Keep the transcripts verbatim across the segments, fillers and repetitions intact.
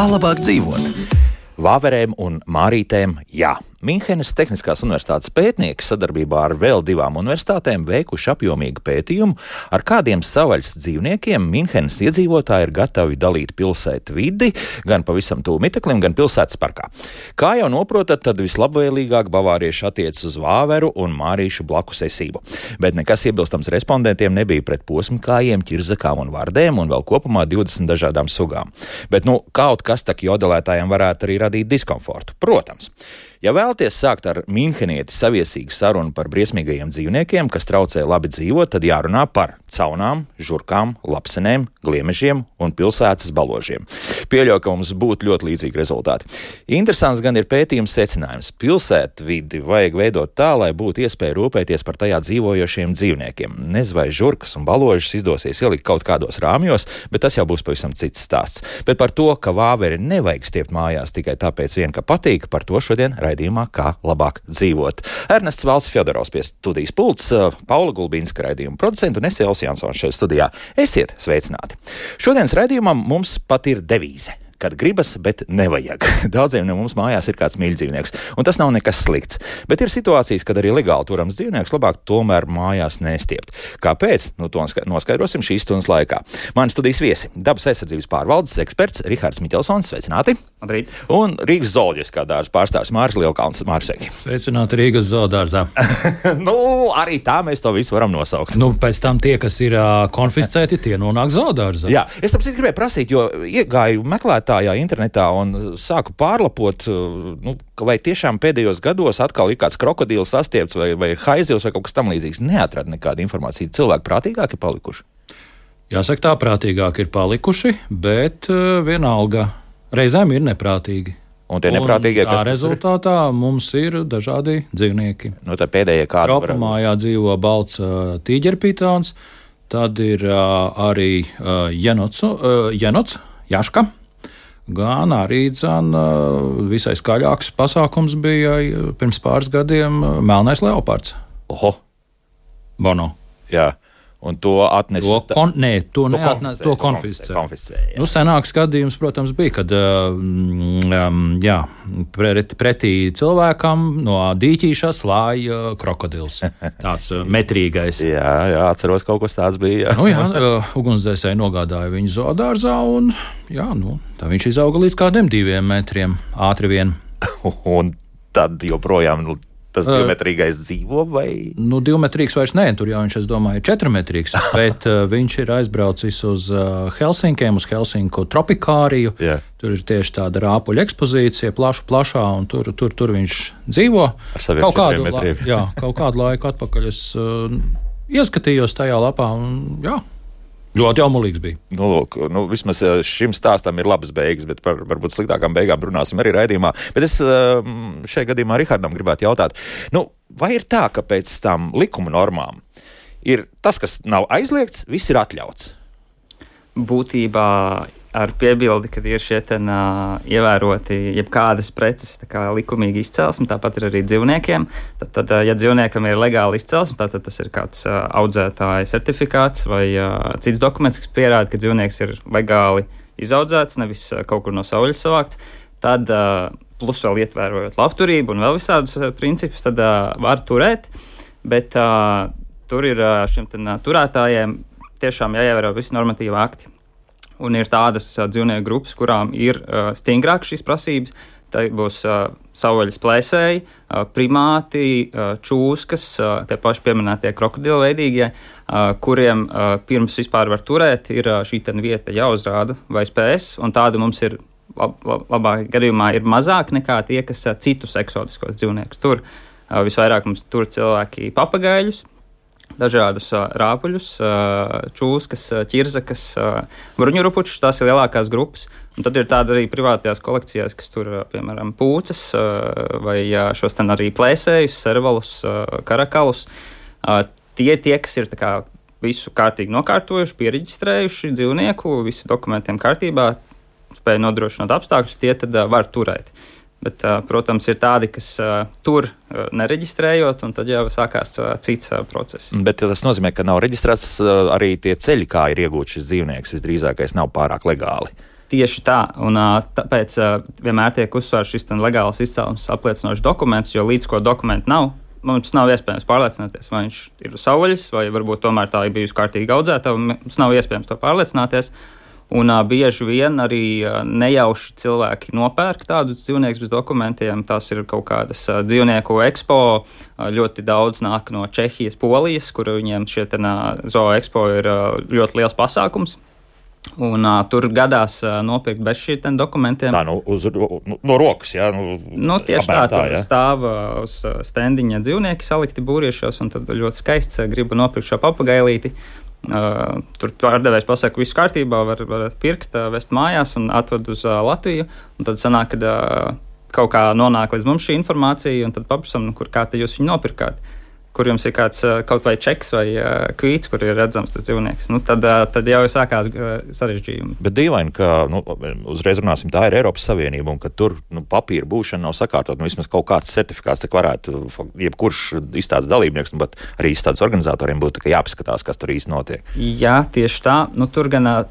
Kā labāk dzīvot? Vāverēm un mārītēm jā. Minhenes Tehniskās universitātes pētnieki sadarbībā ar vēl divām universitātēm veikuši apjomīgu pētījumu, ar kādiem savvaļas dzīvniekiem Minhenes iedzīvotāji ir gatavi dalīt pilsētu vidi, gan pavisam tuvu miteklim, gan pilsētas parkā. Kā jau noprotat, tad vislabvēlīgāk bavārieši attiecas uz vāveru un mārīšu blakus esību. Bet nekas iebilstams respondentiem nebija pret posmkājiem, ķirzakām un vardēm un vēl kopumā divdesmit dažādām sugām. Bet nu, kaut kas tak jodelētājiem varētu arī radīt diskomfortu. Protams. Ja vēlaties sākt ar minhenieti saviesīgu sarunu par briesmīgajiem dzīvniekiem, kas traucē labi dzīvot, tad jārunā par caunām, žurkām, lapsenēm, gliemežiem un pilsētas baložiem. Pieļauju, ka mums būtu ļoti līdzīgi rezultāti. Interesants gan ir pētījums secinājums. Pilsētu vidi vajag veidot tā, lai būtu iespēja rūpēties par tajā dzīvojošiem dzīvniekiem. Nezinu, vai žurkas un baložas izdosies ielikt kaut kādos rāmjos, bet tas jau būs pavisam cits stāsts. Bet par to, ka vāveri nevajag stiept mājās tikai tāpēc vien, ka patīk, par to šodien raidījumā Kā labāk dzīvot. Ernests Valds Fjodorovs pie studijas pults, Paula Gulbinska raidījuma producenta un es Elsa Jansons šeit studijā. Esiet sveicināti! Šodienas raidījumam mums pat ir devīze. Kad gribas, bet nevajag. Daudziem no mums mājās ir kāds mīļdzīvnieks, un tas nav nekas slikts. Bet ir situācijas, kad arī legāli turams dzīvnieks labāk tomēr mājās nestiept. Kāpēc? Nu, to noskaidrosim šīs stundas laikā. Mani studijas viesi - dabas aizsardzības pārvaldes eksperts Rihards Miķelsons, sveicināti. Labrīt. Un Rīgas zooloģiskā dārza pārstāvis Māris Lielkalns. Māris, sveiki. Sveicināti Rīgas zoodārzā. Nu, arī tā mēs to visu varam nosaukt. Nu, pēc tam tie, kas ir uh, konfiscēti, tie nonāk zoodārzā. Jā, es tāpēc gribēju prasīt, jo iegāju meklētā internetā un sāku pārlapot, nu, vai tiešām pēdējos gados atkal ir kāds krokodils sastiepts vai, vai haizivs vai kaut kas tam līdzīgs. Neatrada nekādu informāciju. Cilvēki prātīgāki ir palikuši? Jāsaka, tā prātīgāki ir palikuši, bet uh, vienalga reizēm ir neprātīgi. Un tie neprātīgie, kas tā rezultātā ir? Mums ir dažādi dzīvnieki. Nu, tā pēdējie kādi var... Kropamājā dzīvo balts uh, tīģerpitāns, tad ir uh, arī uh, jenots, uh, jenots, jaška. Gan arī dzan, visai skaļāks pasākums bija pirms pāris gadiem melnais leopards. Oho! Bono. Jā, un to atnesa... To, kon, nē, to, to neatnesa, to konfiscē. konfiscē nu, senāks gadījums, protams, bija, kad um, jā, pret, pretī cilvēkam no dīķīša slāja krokodils. Tāds metrīgais. jā, jā, atceros, kaut kas tāds bija. Jā. Nu, jā, ugunsdzēsēji nogādāja viņu zoodārzā un jā, nu, tā viņš izauga līdz kādiem diviem metriem ātri vien. Un tad joprojām... Nu, tas divmetrīgais dzīvo vai? Nu, divmetrīgs vairs nē, tur jau viņš, es domāju, ir četrmetrīgs, bet uh, viņš ir aizbraucis uz uh, Helsinkiem, uz Helsinku tropikāriju. Yeah. Tur ir tieši tāda rāpuļa ekspozīcija, plaša, plašā, un tur, tur, tur viņš dzīvo. Ar saviem kaut kādu, metriem. La, jā, kaut kādu laiku atpakaļ es uh, ieskatījos tajā lapā, un jā. Ļoti jaumulīgs bija. Nu, lūk, nu, vismaz šim stāstam ir labas beigas, bet par varbūt sliktākām beigām runāsim arī raidījumā. Bet es šajā gadījumā Rihardam gribētu jautāt, nu, vai ir tā, ka pēc tam likuma normām ir tas, kas nav aizliegts, viss ir atļauts? Būtībā ar piebildi, kad ir šie ten uh, ievēroti jebkādas preces kā likumīgi izcelsme, tāpat ir arī dzīvniekiem. Tad, tad ja dzīvniekam ir legāli izcelsme, tad tas ir kāds uh, audzētāja certifikāts vai uh, cits dokuments, kas pierāda, ka dzīvnieks ir legāli izaudzēts, nevis uh, kaut kur no saules savākts. Tad uh, plus vēl ietvērojot labturību un vēl visādus uh, principus, tad uh, var turēt, bet uh, tur ir uh, šiem ten, uh, turētājiem tiešām jāievēro visi normatīvi akti. Un ir tādas uh, dzīvnieku grupas, kurām ir uh, stingrāk šīs prasības. Tā būs uh, savvaļas plēsēji, uh, primāti, uh, čūskas, uh, tie paši pieminētie krokodili veidīgie, uh, kuriem uh, pirms vispār var turēt, ir uh, šī ten vieta jāuzrāda vai spēs, un tāda mums ir lab, lab, labāk gadījumā ir mazāk nekā tie, kas uh, citus eksotiskos dzīvniekus tur. Uh, visvairāk mums tur cilvēki papagaļus, dažādus uh, rāpuļus, uh, čūskas, uh, ķirzakas, uh, bruņurupučus, tās ir lielākās grupas. Un tad ir tāda arī privātajās kolekcijās, kas tur, uh, piemēram, pūcas uh, vai uh, šos ten arī plēsējus, servalus, uh, karakalus. Uh, tie tie, kas ir tā kā visu kārtīgi nokārtojuši, piereģistrējuši dzīvnieku, visi dokumentiem kārtībā, spēja nodrošināt apstākļus, tie tad uh, var turēt. Bet, protams, ir tādi, kas uh, tur uh, nereģistrējot, un tad jau sākās uh, cits uh, process. Bet tas nozīmē, ka nav reģistrēts uh, arī tie ceļi, kā ir iegūts šis dzīvnieks, visdrīzākais nav pārāk legāli. Tieši tā, un tāpēc vienmēr tiek uzsvērts šis legāls izcelsmes apliecinošs dokuments, jo līdz ko dokumentu nav, mums nav iespējams pārliecināties, vai viņš ir uz savvaļas, vai varbūt tomēr tā ir bijusi kārtīgi audzēta, un mums nav iespējams to pārliecināties. Un uh, bieži vien arī uh, nejauši cilvēki nopērk tādus dzīvniekus bez dokumentiem. Tas ir kaut kādas uh, dzīvnieku ekspo. Uh, ļoti daudz nāk no Čehijas, Polijas, kur viņiem šie ten, uh, zoo ekspo ir uh, ļoti liels pasākums. Un uh, tur gadās uh, nopirkt bez šiem dokumentiem. Tā, nu, uz, no, no rokas, jā? Nu, nu, tieši tā, tā, tur stāv uh, uz stendiņa dzīvnieki salikti būriešos, un tad ļoti skaists uh, gribu nopirkt šo papagailīti. Uh, tur pārdevējs pasaka, viss kārtībā, var, var pirkt, uh, vest mājās un atved uz uh, Latviju. Un tad sanāk, ka uh, kaut kā nonāk līdz mums šī informācija, un tad paprasam, nu, kur kā te jūs viņu nopirkāt. Kur jums ir kāds kaut vai čeks vai uh, kvīts, kur ir redzams tas dzīvnieks. Nu, tad, uh, tad jau sākās uh, sarežģījumi. Bet dīvaini, ka nu, uzreiz runāsim, tā ir Eiropas Savienība, un ka tur nu, papīra būšana nav sakārtot. Nu, vismaz kaut kāds certifikāts tak varētu, jebkurš izstādes dalībnieks, nu, bet arī izstādes organizatoriem būtu jāpaskatās, kas tur īsti notiek. Jā, tieši tā. Nu, tur gan uh,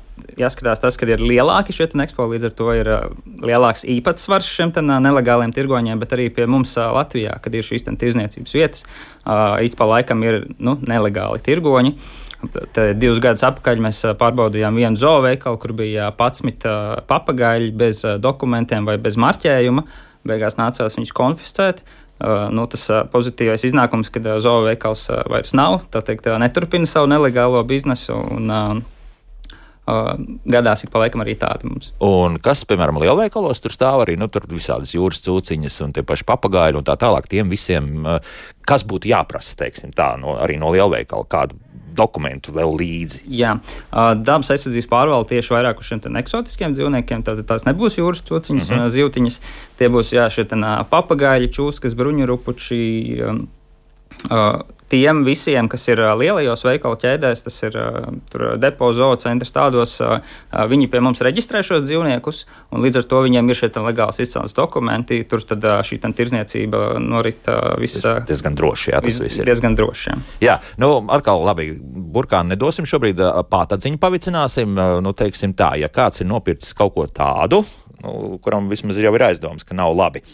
jāskatās tas, ka ir lielāki šie ekspo, līdz ar to ir uh, lielāks īpatsvars šiem ten, uh, nelegāliem tirgoņiem, bet arī pie mums uh, Latvijā, kad ir šīs ten tirzniecības vietas, uh, ik pa laikam ir nu, nelegāli tirgoņi. Te divus gadus atpakaļ mēs pārbaudījām vienu zoo veikalu, kur bija padsmit uh, papagaļi bez uh, dokumentiem vai bez marķējuma. Beigās nācās viņus konfiscēt. Uh, nu, tas uh, pozitīvais iznākums, kad uh, zoo veikals uh, vairs nav, tā teikt, uh, neturpina savu nelegālo biznesu un uh, Uh, gadās ik pa laikam arī tādi mums. Un kas, piemēram, lielveikalos tur stāv arī, nu, tur visādas jūras cūciņas un tie paši papagaļi un tā tālāk, tiem visiem, uh, kas būtu jāprasa, teiksim tā, no, arī no lielveikala, kādu dokumentu vēl līdzi? Jā, uh, dabas aizsardzības pārvalde tieši vairāk uz šiem ten eksotiskiem dzīvniekiem, tātad tās nebūs jūras cūciņas mm-hmm. un zivtiņas, tie būs, jā, šie ten uh, papagaļi, čūskas, bruņurupuči, um, uh, tiem visiem, kas ir lielajos veikalu ķēdēs, tas ir tur depo, zoo centrs tādos, viņi pie mums reģistrē šos dzīvniekus, un līdz ar to viņiem ir šie legāls izcelsmes dokumenti, tur tad šī tirzniecība norit viss. Diezgan droši, jā, tas viss ir. Diezgan droši, jā. Jā, nu, atkal labi, burkānu nedosim šobrīd, pātadziņu pavicināsim, nu, teiksim tā, ja kāds ir nopircis kaut ko tādu, nu, kuram vismaz jau ir aizdoms, ka nav labi.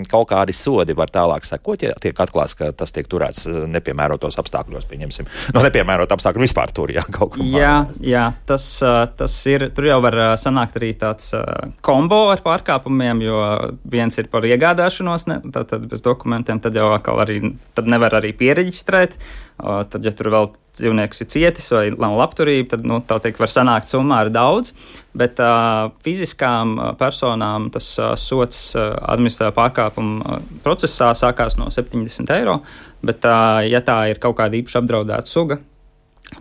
Kaut kādi sodi var tālāk sekot, ja tiek atklāts, ka tas tiek turēts nepiemērotos apstākļos, pieņemsim. No nepiemērot apstākļu vispār tur, jā, kaut ko. Jā, jā, tas, tas ir, tur jau var sanākt arī tāds kombo ar pārkāpumiem, jo viens ir par iegādāšanos, ne, tad, tad bez dokumentiem, tad jau atkal arī, tad nevar arī piereģistrēt, tad, ja tur vēl dzīvnieks ir cietis vai nav labturība, tad, nu, tā teikt, var sanākt summā ar daudz, bet uh, fiziskām personām tas uh, sots uh, administratīvā pārkāpuma procesā sākās no septiņdesmit eiro, bet, uh, ja tā ir kaut kāda īpaši apdraudēta suga,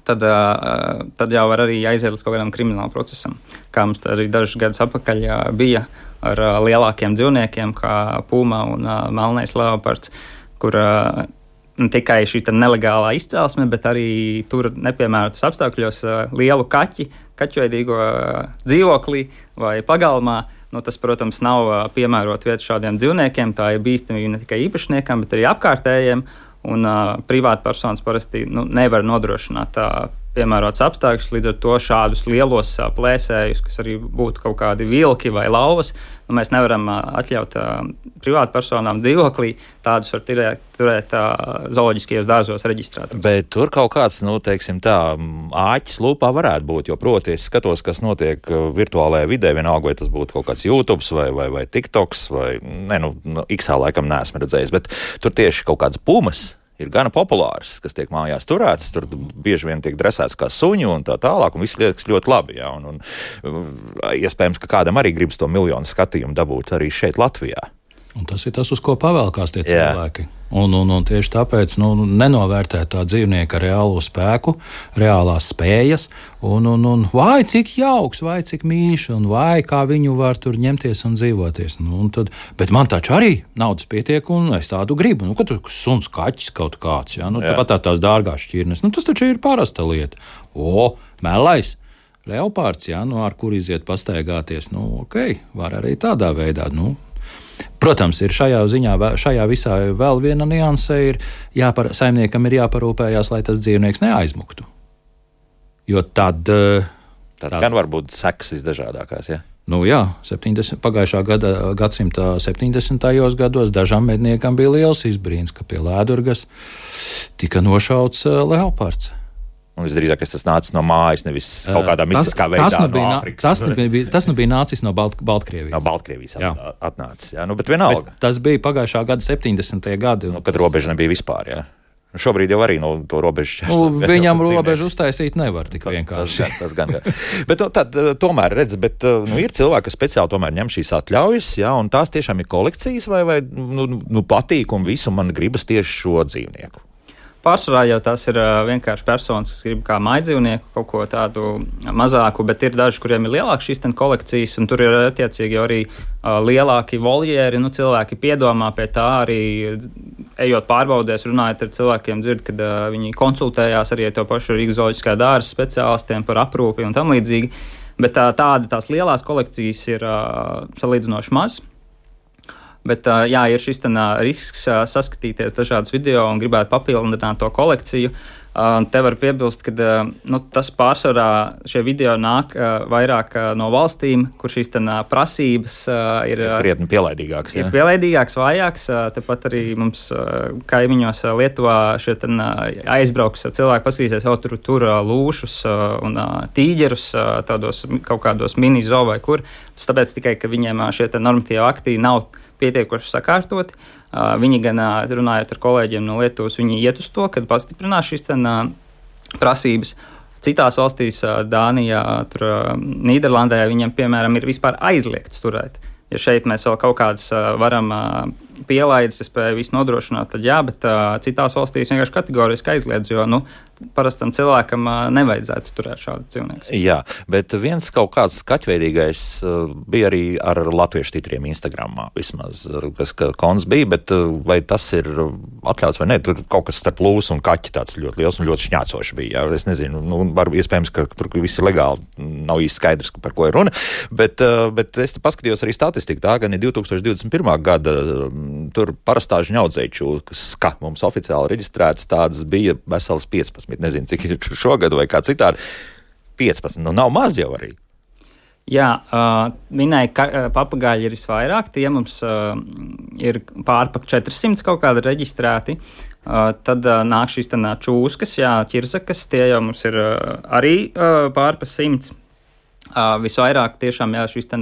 tad, uh, tad jau var arī aiziet līdz kaut kādam krimināla procesam, kā mums arī dažus gadus atpakaļ uh, bija ar uh, lielākiem dzīvniekiem, kā puma un uh, melnais leopards, kur uh, ne tikai šī nelegālā izcelsme, bet arī tur nepiemērotas apstākļos lielu kaķi, kaķveidīgo dzīvoklī vai pagalmā. Nu, tas, protams, nav piemērota vieta šādiem dzīvniekiem. Tā ir bīstamība ne tikai īpašniekam, bet arī apkārtējiem. Un uh, privātpersonas parasti nu, nevar nodrošināt uh, piemērots apstākļus, līdz ar to šādus lielos uh, plēsējus, kas arī būtu kaut kādi vilki vai lauvas, nu, mēs nevaram uh, atļaut uh, privātpersonām dzīvoklī, tādus var turēt, turēt uh, zooloģiskajos dārzos reģistrētos. Bet tur kaut kāds, nu, teiksim tā, āķis lūpā varētu būt, jo proti es skatos, kas notiek virtuālajā vidē, vienalga, vai tas būtu kaut kāds YouTube vai, vai, vai TikToks, vai, ne, nu, X-ā laikam neesmu redzējis, bet tur tieši kaut kāds pumas ir gana populārs, kas tiek mājās turēts, tur bieži vien tiek dresēts kā suņi un tā tālāk, un viss liekas ļoti labi, jā, un, un iespējams, ka kādam arī gribas to miljonu skatījumu dabūt arī šeit Latvijā. Un tas ir tas, uz ko pavēlkās tie cilvēki. Un, un, un tieši tāpēc nu, nenovērtē tā dzīvnieka reālo spēku, reālās spējas, un, un, un vai cik jauks, vai cik mīļš, un vai kā viņu var tur ņemties un dzīvoties. Nu, un tad, bet man taču arī naudas pietiek, un es tādu gribu. Nu, kad tur suns, kaķis kaut kāds, jā, nu, jā. Tāpat tā tās dārgās šķirnes, nu, tas taču ir parasta lieta. O, melais, leopards, jā, nu, ar kur iziet pastaigāties, nu, ok, var arī tādā veidā, nu. Protams, ir šajā ziņā, šajā visā vēl viena nianse, ir jāpar, saimniekam ir jāparūpējās, lai tas dzīvnieks neaizmuktu. Jo tad, Tad tā. Gan var būt sekas visdažādākās, ja? Nu jā, septiņdesmit, pagājušā gada, gadsimta septiņdesmitajos gados dažam medniekam bija liels izbrīns, ka pie Lēdurgas tika nošauts leopards. Un visdrīzāk tas nācis no mājas, nevis kaut kādā mistiskā veidā tas nu bija, no Āfrikas. Tas nu bija, tas nu bija nācis no Balt, Baltkrievijas. No Baltkrievijas at, atnācis, jā. Nu, bet vienalga. Bet tas bija pagājušā gada septiņdesmitie gadi. Nu, kad robeža nebija vispār, jā. Šobrīd jau arī no to robežu šķērs. Nu, viņam robežu uztaisīt nevar tik vienkārši. Tas, tas gan, tas gan. Bet nu, tad, tomēr, redz, bet nu, ir cilvēki, kas speciāli tomēr ņem šīs atļaujas, jā, un tās tiešām ir kolekcijas vai, vai nu, nu, patīk un visu man gribas tieši šo dzīvnieku. Pārsvarā jau tas ir uh, vienkārši personas, kas grib kā mājdzīvnieku kaut ko tādu mazāku, bet ir daži, kuriem ir lielākas šīs kolekcijas, un tur ir attiecīgi arī uh, lielāki voljēri. Nu, cilvēki piedomā pie tā arī, ejot pārbaudēs, runājot ar cilvēkiem, dzird, kad uh, viņi konsultējās arī ar to pašu Rīgas zooloģiskā dārza speciālistiem par aprūpi un tam līdzīgi. Bet uh, tāda tās lielās kolekcijas ir uh, salīdzinoši maz. Bet, jā, ir šis tā, risks saskatīties dažādus video un gribētu papildināt to kolekciju. Te var piebilst, ka nu, tas pārsvarā šie video nāk vairāk no valstīm, kur šīs tā, prasības ir, ir krietni pielaidīgākas. Ir pielaidīgāks, vājāks. Tepat arī mums kaimiņos Lietuvā šie tā, aizbrauks cilvēki, paskatīsies, jau tur, tur lūšus un tīģerus tādos kaut kādos mini zoo vai kur. Tas tāpēc tikai, ka viņiem šie tā, normatīvi akti nav pietiekoši sakārtoti. Uh, viņi gan, uh, runājot ar kolēģiem no Lietuvas, viņi iet uz to, kad pastiprinās šīs ten, uh, prasības. Citās valstīs, uh, Dānijā, tur, uh, Nīderlandē, viņiem, piemēram, ir vispār aizliegts turēt. Ja šeit mēs vēl kaut kādas uh, varam uh, pielaides, es spēju visu nodrošināt, tad jā, bet uh, citās valstīs vienkārši kategoriski aizliedz, jo, nu, parastam cilvēkam uh, nevajadzētu turēt šādu dzīvnieku. Jā, bet viens kaut kāds skaķveidīgais uh, bija arī ar latviešu titriem Instagramā vismaz, kas kons bija, bet uh, vai tas ir atļauts vai ne? Tur kaut kas starp lūsu un kaķi tāds ļoti liels un ļoti šņācoši bija. Jā, es nezinu, nu, var iespējams, ka tur viss ir legāli, nav īsti skaidrs, par ko ir runa, bet, uh, bet es te paskatījos arī statistiku. Tā gan ir divtūkstoš divdesmit pirmā gada, tur parastā žņaudzēju čūskas, ka mums oficiāli reģistrētas tādas bija veselas piecpadsmit, nezinu, cik ir šogad vai kā citādi, piecpadsmit, nu nav maz jau arī. Jā, uh, minēja, ka uh, papagāļi ir visvairāk, tie mums uh, ir pārpa četrsimt kaut kādi reģistrēti, uh, tad uh, nāk šīs tā čūskas, jā, ķirzakas, tie jau mums ir uh, arī uh, pārpa simts. Uh, visvairāk tiešām jā, šīs tā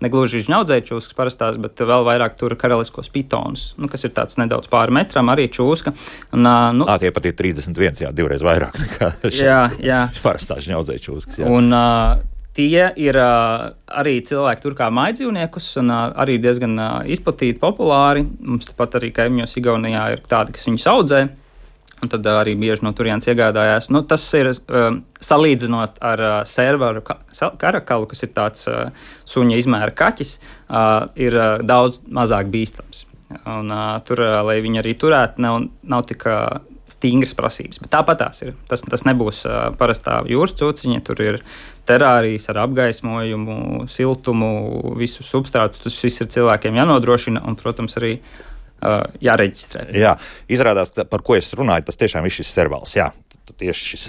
negluži žņaudzēju čūskas parastās, bet vēl vairāk tur karaliskos pitonus, nu, kas ir tāds nedaudz pāri metram, arī čūska. Un, uh, nu, Ā, tie pat ir trīsdesmit viens, jā, divreiz vairāk nekā jā, jā. parastā žņaudzēju čūskas. Jā. Un uh, tie ir uh, arī cilvēki tur kā mājdzīvniekus un uh, arī diezgan uh, izplatīti, populāri. Mums tāpat arī kaimiņos Igaunijā ir tādi, kas viņus audzē. Un tad uh, arī bieži no turienes iegādājās. Nu, tas ir uh, salīdzinot ar uh, servaru ka karakalu, kas ir tāds uh, suņa izmēra kaķis, uh, ir uh, daudz mazāk bīstams. Un, uh, tur, uh, lai viņi arī turētu, nav, nav tik uh, stingras prasības. Bet tāpat tās ir. Tas, tas nebūs uh, parastā jūras cūciņa, tur ir terārijas ar apgaismojumu, siltumu, visu substrātu. Tas viss ir cilvēkiem jānodrošina un, protams, arī Uh, jāreģistrē. Jā, izrādās, par ko es runāju, tas tiešām ir šis servals. Jā, tieši šis.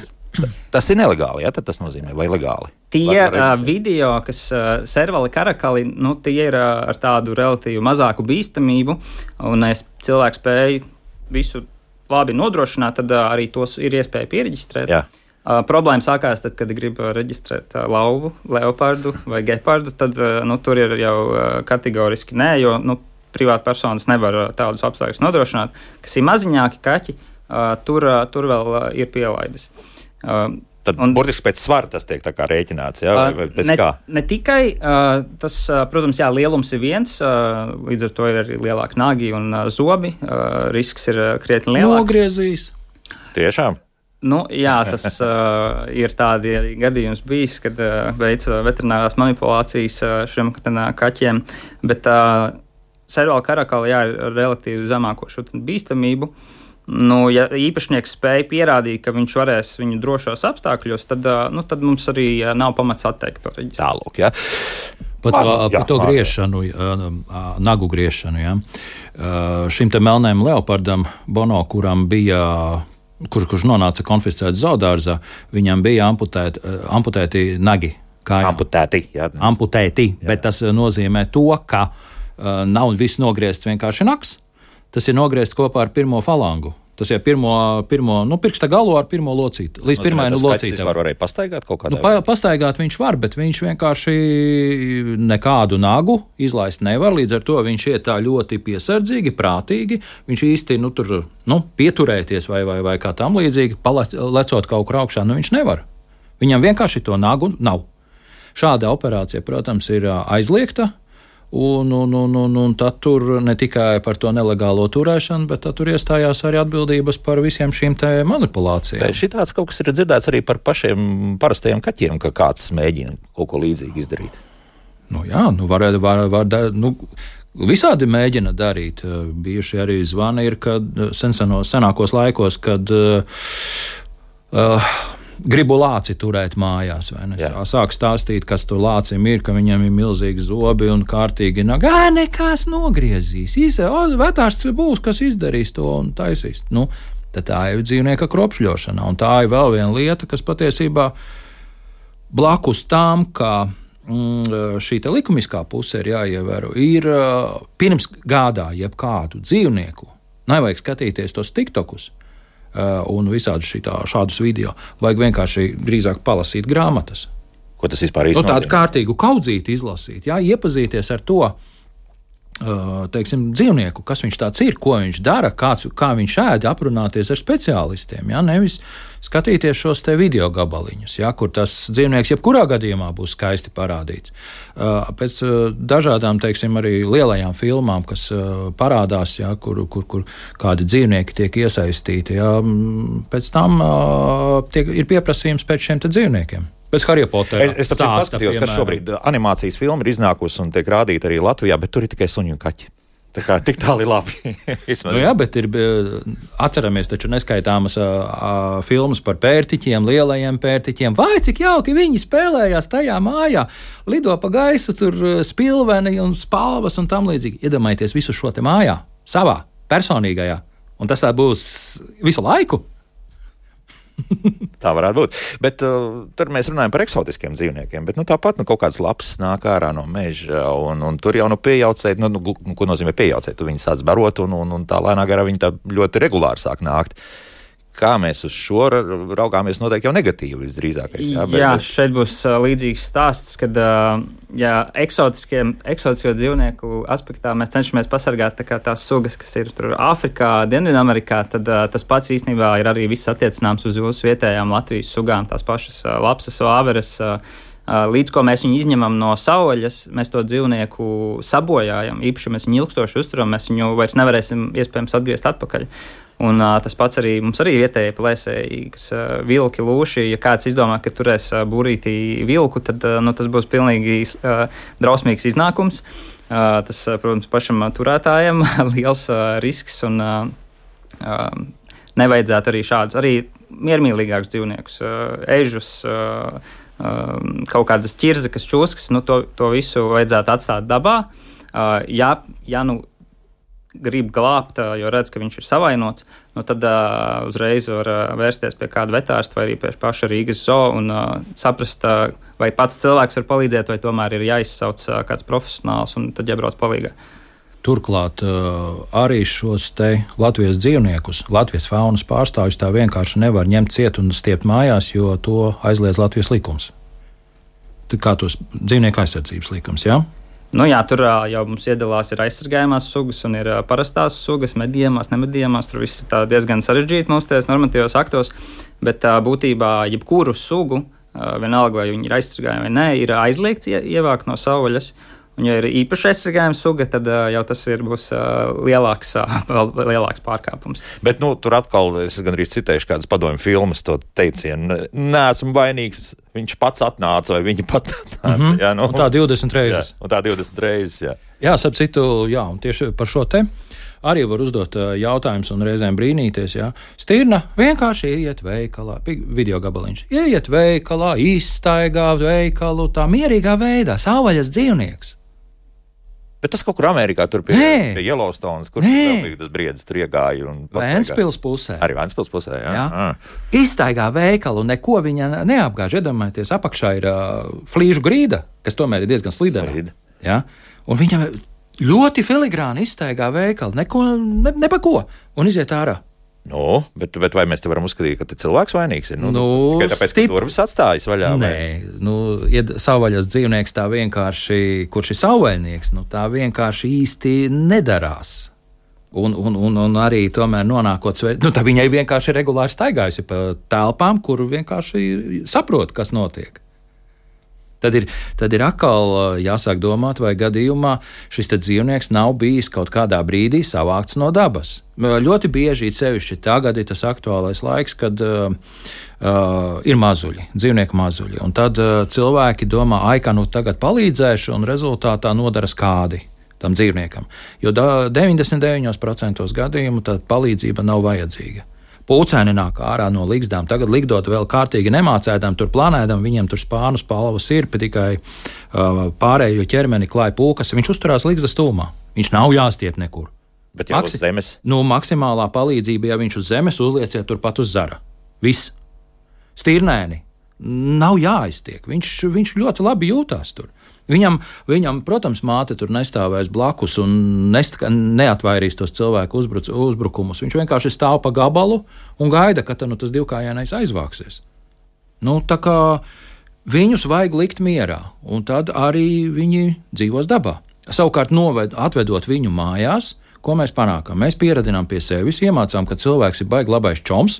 Tas ir nelegāli, jā, tad tas nozīmē, vai legāli? Tie var, var uh, video, kas uh, servali karakali, nu, tie ir uh, ar tādu relatīvi mazāku bīstamību, un ja cilvēks spēj visu labi nodrošināt, tad uh, arī tos ir iespēja piereģistrēt. Jā. Uh, problēma sākās tad, kad grib reģistrēt uh, lauvu, leopardu vai gepardu, tad uh, nu, tur ir jau uh, kategoriski nē, jo, nu, privāta personas nevar tādus apstākļus nodrošināt, kas ir maziņāki kaķi, uh, tur, uh, tur vēl uh, ir pielaides. Uh, Tad un, burtiski pēc svara tas tiek tā kā rēķināts, jā, vai pēc ne, kā? Ne tikai, uh, tas, uh, protams, jā, lielums ir viens, uh, līdz ar to ir arī lielāki nagi un uh, zobi, uh, risks ir uh, krietni lielāks. Nogriezīs. Tiešām? Nu, jā, tas uh, ir tādi arī gadījums bijis, kad uh, veic veterinārās manipulācijas uh, šiem kaķiem, bet uh, servāla karakala, jā, ir relatīvi zemāko šo bīstamību. Nu, ja īpašnieks spēja pierādīt, ka viņš varēs viņu drošos apstākļos, tad, uh, nu, tad mums arī uh, nav pamats atteikt to reģistru. Tālūk, jā. Pat Man, par jā, to man. griešanu, nagu griešanu, jā. Šim te melnējam leopardam, Bono, kuram bija kur, kurš nonāca konfiscēts zoodārzā, viņam bija amputēti, amputēti nagi. Kājām. Amputēti, jā. Amputēti, jā. Bet tas nozīmē to, ka uh, nav viss nogriezts vienkārši naks, tas ir nogriezts kopā ar pirmo falangu. Tas ir pirmo, pirmo nu, pirksta galu ar pirmo locīti. Līdz pirmai nu, locītei. Tas varēja pastaigāt kaut kādā? Nu, pa, pastaigāt viņš var, bet viņš vienkārši nekādu nagu izlaist nevar. Līdz ar to viņš iet tā ļoti piesardzīgi, prātīgi. Viņš īsti nu, tur nu, pieturēties vai, vai, vai kā tam līdzīgi, palecot kaut kur augšā, nu viņš nevar. Viņam vienkārši to nagu nav. Šāda operācija, protams, ir aizliegta. Un, un, un, un, un tad tur ne tikai par to nelegālo turēšanu, bet tur iestājās arī atbildības par visiem šīm te manipulācijām. Bet šitāds kaut kas ir dzirdēts arī par pašiem parastajiem kaķiem, ka kāds mēģina kaut ko līdzīgi izdarīt. Nu jā, nu var, var, var, nu, visādi mēģina darīt. Bijuši arī zvani ir, kad senseno, senākos laikos, kad uh, uh, gribu lāci turēt mājās, vai ne? Sāk stāstīt, kas tur lācim ir, ka viņam ir milzīgi zobi un kārtīgi nāk. Ā, nekas nogriezīs. Izda, o, vetārs būs, kas izdarīs to un taisīs. Nu, tad tā ir dzīvnieka kropšļošana. Un tā ir vēl viena lieta, kas patiesībā blakus tām, ka mm, šī te likumiskā puse ir jāievēro, ir pirms gādā jebkādu dzīvnieku. Nevajag skatīties tos tiktokus. Uh, un visādus šitā, šādus video. Vajag vienkārši drīzāk palasīt grāmatas. Ko tas vispār īsti nozīmē? Nu, tādu kārtīgu kaudzīti izlasīt, jā, iepazīties ar to, uh, teiksim, dzīvnieku, kas viņš tāds ir, ko viņš dara, kāds, kā viņš ēd, aprunāties ar speciālistiem, jā, nevis skatīties šos te video gabaliņus, jā, kur tas dzīvnieks jebkurā gadījumā būs skaisti parādīts. Uh, pēc uh, dažādām, teiksim, arī lielajām filmām, kas uh, parādās, jā, kur, kur, kur kādi dzīvnieki tiek iesaistīti, jā, pēc tam uh, tiek, ir pieprasījums pēc šiem te dzīvniekiem. Pēc Harry Pottera. Es, es tāpēc paskatījos, ka šobrīd animācijas filma ir iznākusi un tiek rādīta arī Latvijā, bet tur ir tikai suņi un kaķi. Tā kā tik tāli labi. Nu jā, bet ir, atceramies taču neskaitāmas a, a, filmas par pērtiķiem, lielajiem pērtiķiem. Vai cik jauki viņi spēlējās tajā mājā, lido pa gaisu, tur spilveni un spalvas un tam līdzīgi. Iedomājieties visu šo te mājā, savā, personīgajā. Un tas tā būs visu laiku. Tā varētu būt. Bet uh, tad mēs runājam par eksotiskiem dzīvniekiem. Bet nu, tāpat nu, kaut kāds labs nāk ārā no meža. Un, un tur jau nu, piejaucēt, nu, nu, ko nozīmē piejaucēt? Tu viņu sāc barot un, un, un tā lēnā garā viņi tā ļoti regulāri sāk nākt. Kā mēs uz šo raugāmies, noteikti jau negatīvi visdrīzākais. Jā, bet, jā bet... šeit būs uh, līdzīgs stāsts, kad uh, jā, eksotisko dzīvnieku aspektā mēs cenšamies pasargāt tā kā tās sugas, kas ir tur Āfrikā, Dienvidamerikā, tad uh, tas pats īstenībā ir arī viss attiecināms uz jūsu vietējām Latvijas sugām, tās pašas uh, lapsas, vāveres. Uh, Līdz ko mēs viņu izņemam no saules, mēs to dzīvnieku sabojājam. Īpaši mēs viņu ilgstoši uzturam, mēs viņu vairs nevarēsim iespējams atgriezt atpakaļ. Un uh, tas pats arī mums arī vietējie plēsēji, kas uh, vilki, lūši. Ja kāds izdomā, ka turēs uh, burītī vilku, tad uh, nu, tas būs pilnīgi uh, drausmīgs iznākums. Uh, tas, uh, protams, pašam uh, turētājam liels uh, risks un uh, uh, nevajadzētu arī šādus, arī miermīlīgākus dzīvniekus, uh, ežus, uh, uh, kaut kādas ķirzekas, čūskas, nu, to, to visu vajadzētu atstāt dabā. Uh, ja, ja nu grib glābt, jo redz, ka viņš ir savainots, nu tad uh, uzreiz var uh, vērsties pie kāda vetārsta vai arī pie paša Rīgas zoo un uh, saprast, uh, vai pats cilvēks var palīdzēt, vai tomēr ir jāizsauc uh, kāds profesionāls un tad jābrauc palīgā. Turklāt uh, arī šos te Latvijas dzīvniekus, Latvijas faunas pārstāvjus tā vienkārši nevar ņemt ciet un stiept mājās, jo to aizliedz Latvijas likums. Tā kā tos dzīvnieku aizsardzības likums, jā? Ja? Nu jā, tur jau mums iedalās ir aizsargājumās sugas un ir parastās sugas, medījumās, nemedījumās. Tur viss ir diezgan sarežģīti mūsu tajos normatīvos aktos, bet būtībā jebkuru sugu, vienalga vai viņi ir aizsargājumi vai nē, ir aizliegts ievākt no saules. Un, ja ir īpaši aizsargājuma suga, tad uh, jau tas ir, būs uh, lielāks, uh, vēl lielāks pārkāpums. Bet nu, tur atkal es gandrīz citēšu kādas padomju filmas to teicienu. Neesmu vainīgs, viņš pats atnāca vai viņa pat atnāca. Mm-hmm. Jā, nu, un tā divdesmit reizes. Jā, un tā divdesmit reizes, jā. Jā, sap citu, jā, un tieši par šo te arī var uzdot jautājumus un reizēm brīnīties. Jā. Stirna vienkārši ieiet veikalā, video gabaliņš, ieiet veikalā, izstaigā veikalu tā mierīgā veidā, savvaļas dzīvnieks. Bet tas kaut kur Amerikā, tur pie, pie Yellowstones, kur tas briedis tur iegāja un pastaigāja. Ventspils pusē. Arī Ventspils pusē, jā. jā. jā. Izstaigā veikalu, neko viņa neapgāž. Iedomājieties, apakšā ir uh, flīžu grīda, kas tomēr ir diezgan slidena. Ja? Un viņa ļoti filigrāni izstaigā veikalu, neko, ne, ne pa ko, un iziet ārā. Nu, bet, bet vai mēs te varam uzskatīt, ka te cilvēks vainīgs ir? Nu, nu, tikai tāpēc, stip... ka durvis atstājas vaļā? Nē, vai? Nu, ja savvaļas dzīvnieks tā vienkārši, kurš ir savvaļnieks, nu tā vienkārši īsti nedarās. Un, un, un, un arī tomēr nonākot, nu tā viņai vienkārši regulāri staigājusi pa telpām, kur vienkārši saprot, kas notiek. Tad ir, tad ir atkal jāsāk domāt, vai gadījumā šis dzīvnieks nav bijis kaut kādā brīdī savākts no dabas. Ļoti bieži, sevišķi tagad ir tas aktuālais laiks, kad uh, uh, ir mazuļi, dzīvnieku mazuļi. Un tad uh, cilvēki domā, ai, kā nu tagad palīdzēšu, un rezultātā nodara skādi tam dzīvniekam. Jo deviņdesmit deviņos procentos gadījumu tā palīdzība nav vajadzīga. Pūcēni nāk ārā no ligzdām, tagad ligdot vēl kārtīgi nemācētām, tur planēdam, viņiem tur spānu spalvas ir, bet tikai uh, pārējo ķermeni klāja pūkas, viņš uzturās ligzdas tūmā, viņš nav jāstiep nekur. Bet jau Maksi... uz zemes? Nu, maksimālā palīdzība, ja viņš uz zemes uzlieciet turpat uz zara. Viss. Stirnēni. Nav jāiztiek, viņš, viņš ļoti labi jūtās tur. Viņam, viņam, protams, māte tur nestāvēs blakus un nest, neatvairīs tos cilvēku uzbruc, uzbrukumus. Viņš vienkārši stāv pa gabalu un gaida, ka nu, tas divkājainais aizvāksies. Nu, tā kā viņus vajag likt mierā, un tad arī viņi dzīvos dabā. Savukārt, noved, atvedot viņu mājās, ko mēs panākam? Mēs pieradinām pie sevis, iemācām, ka cilvēks ir baigi labais čoms,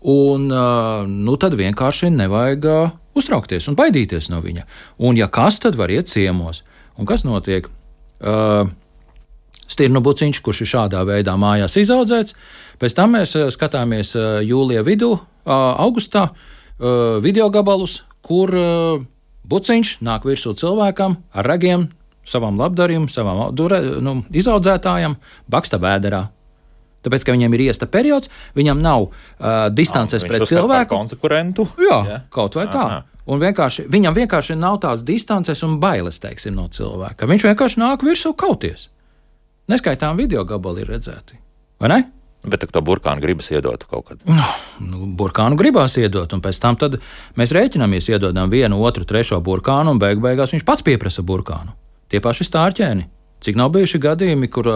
un nu, tad vienkārši nevajag uztraukties un baidīties no viņa. Un ja kas, tad var iet ciemos. Un kas notiek? Uh, Stirnu buciņš, kurš ir šādā veidā mājās izaudzēts, pēc tam mēs skatāmies uh, jūlija vidū, uh, augustā, uh, video gabalus, kur uh, buciņš nāk virsū cilvēkam ar ragiem, savam labdarim, savam dure, nu, izaudzētājam, baksta vēderā. Tāpēc, ka viņam ir iesta periods, viņam nav uh, distances Nā, pret cilvēku. Konkurentu. Jā, jā, kaut vai tā. Aha. Un vienkārši, viņam vienkārši nav tās distances un bailes, teiksim, no cilvēka. Viņš vienkārši nāk virsū kauties. Neskaitām video gabali ir redzēti. Vai ne? Bet to burkānu gribas iedot kaut kad. No, nu, burkānu gribās iedot, un pēc tam tad mēs rēķinamies, iedodam vienu, otru, trešo burkānu, un beig beigās viņš pats pieprasa burkānu. Tie paši stārķēni. Cik nav bijuši gadījumi, kur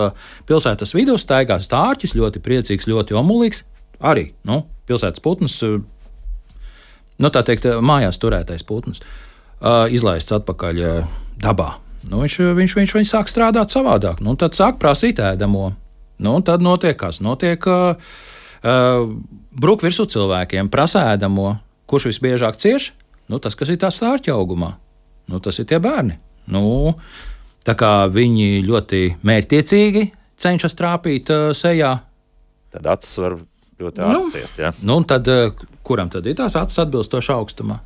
pilsētas vidū staigā stārķis, ļoti priecīgs, ļoti omulīgs, arī, nu, pilsētas putns, nu, tā teikt, mājās turētais putns, izlaists atpakaļ dabā. Nu, viņš, viņš, viņš, viņš sāk strādāt savādāk, nu, tad sāk prasīt ēdamo. Nu, un tad notiek kas? Notiek uh, uh, bruk virsū cilvēkiem, prasa ēdamo. Kurš visbiežāk cieš? Nu, tas, kas ir tā stārķa augumā. Nu, tas ir tie bērni. Nu, tā kā viņi ļoti mērķtiecīgi cenšas trāpīt uh, sejā. Tad acis var ļoti ātri nu, ciest, jā. Nu, un tad, uh, kuram tad ir tās acis atbilstoši augstumā?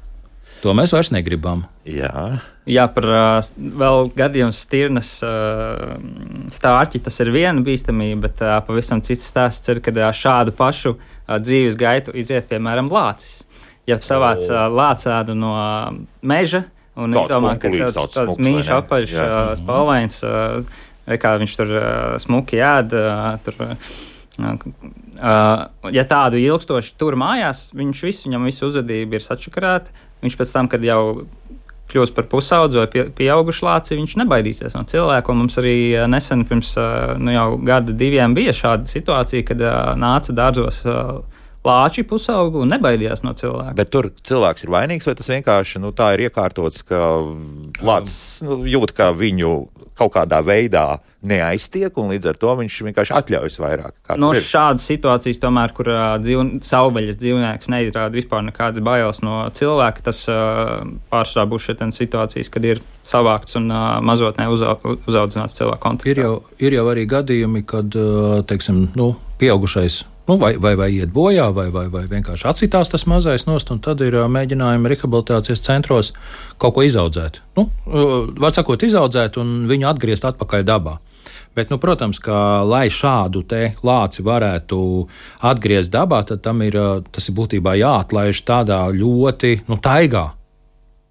To mēs vairs negribam. Jā, Jā par uh, vēl gadījumu stirnas uh, stārķi, tas ir viena bīstamība, bet uh, pavisam cits stāsts ir, kad uh, šādu pašu uh, dzīves gaitu iziet, piemēram, lācis. Ja savāc uh, lācēdu no uh, meža, un viņš domā, ka tāds, tāds mīļš apaļš uh, spalvains, uh, vai kā viņš tur uh, smuki ēd, uh, tur, uh, uh, ja tādu ilgstoši tur mājās, viņš viss, viņam visu uzvedību ir sačakarēta. Viņš pēc tam, kad jau kļūst par pusaudzi vai pie, pieaugušu lāci, viņš nebaidīsies no cilvēku. Un mums arī nesen pirms nu, jau gada diviem bija šāda situācija, kad nāca dārzos lāči pusaugu un nebaidījās no cilvēka. Bet tur cilvēks ir vainīgs, vai tas vienkārši nu, tā ir iekārtots, ka lācis nu, jūt, ka viņu kaut kādā veidā neaiztiek, un līdz ar to viņš vienkārši atļaujas vairāk. No šādas situācijas, tomēr, kur uh, dzīv, savvaļas dzīvnieks neizrāda vispār nekādas bailes no cilvēka, tas uh, pārsvarā būs šeit situācijas, kad ir savākts un uh, mazotnē uzau, uzaudzināts cilvēku kontaktā. Ir jau, ir jau arī gadījumi, kad, uh, teiksim, nu, pieaugušais nu, vai, vai, vai iet bojā, vai, vai, vai vienkārši atsitās tas mazais nost, un tad ir uh, mēģinājumi rehabilitācijas centros kaut ko izaudzēt. Nu, uh, var sakot, izaudzēt un viņu atgriezt atpakaļ dabā. Bet, nu, protams, ka, lai šādu te lāci varētu atgriezt dabā, tad tam ir, tas ir būtībā jāatlaiž tādā ļoti, nu, taigā.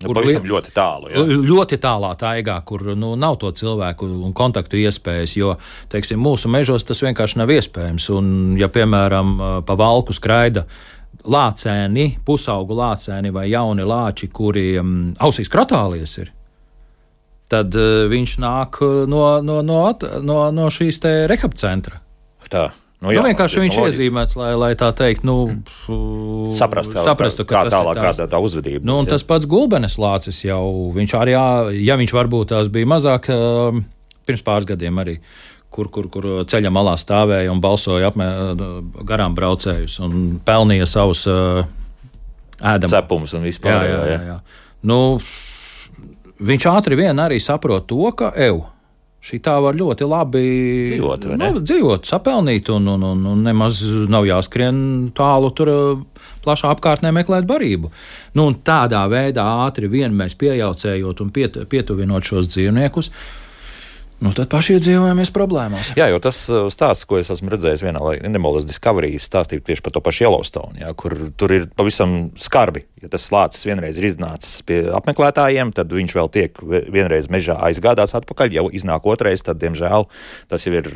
Nu, pavisam ļoti tālu. Jā. Ļoti tālā taigā, kur nu, nav to cilvēku un kontaktu iespējas, jo, teiksim, mūsu mežos tas vienkārši nav iespējams. Un, ja, piemēram, pa valku skraida lācēni, pusaugu lācēni vai jauni lāči, kuri um, ausīs kratālies ir, tad uh, viņš nāk no, no, no, no, no šīs te rehab centra. Tā. Nu, jā, nu, vienkārši viņš loģiski. iezīmēts, lai, lai tā teikt, nu, Saprast, saprastu, kā ka tālāk, tas ir tās. kāda tā uzvedība. Nu, un tas pats gulbenes lācis jau, viņš arī, ja viņš varbūt tās bija mazāk, pirms pāris gadiem arī, kur, kur, kur ceļa malā stāvēja un balsoja apmē, garām braucējus un pelnīja savus ēdamus. Cepumus un vispār. Jā, jā, jā, jā. Nu, viņš ātri vien arī saprot to, ka ev. Šī tā var ļoti labi dzīvot, nu, dzīvot sapelnīt, un, un, un, un nemaz nav jāskrien tālu tur plašā apkārtnē meklēt barību. Nu, un tādā veidā ātri vien mēs pieejaucējot un piet, pietuvinot šos dzīvniekus, nu, tad paši iedzīvojamies problēmās. Jā, jo tas stāsts, ko es esmu redzējis vienā Animal Discovery, stāstīja tieši par to pašu Yellowstone, jā, kur tur ir pavisam skarbi. Ja tas lācis vienreiz ir iznācis pie apmeklētājiem, tad viņš vēl tiek vienreiz mežā aizgādāts atpakaļ, jau iznāk otrais, tad, diemžēl, tas jau ir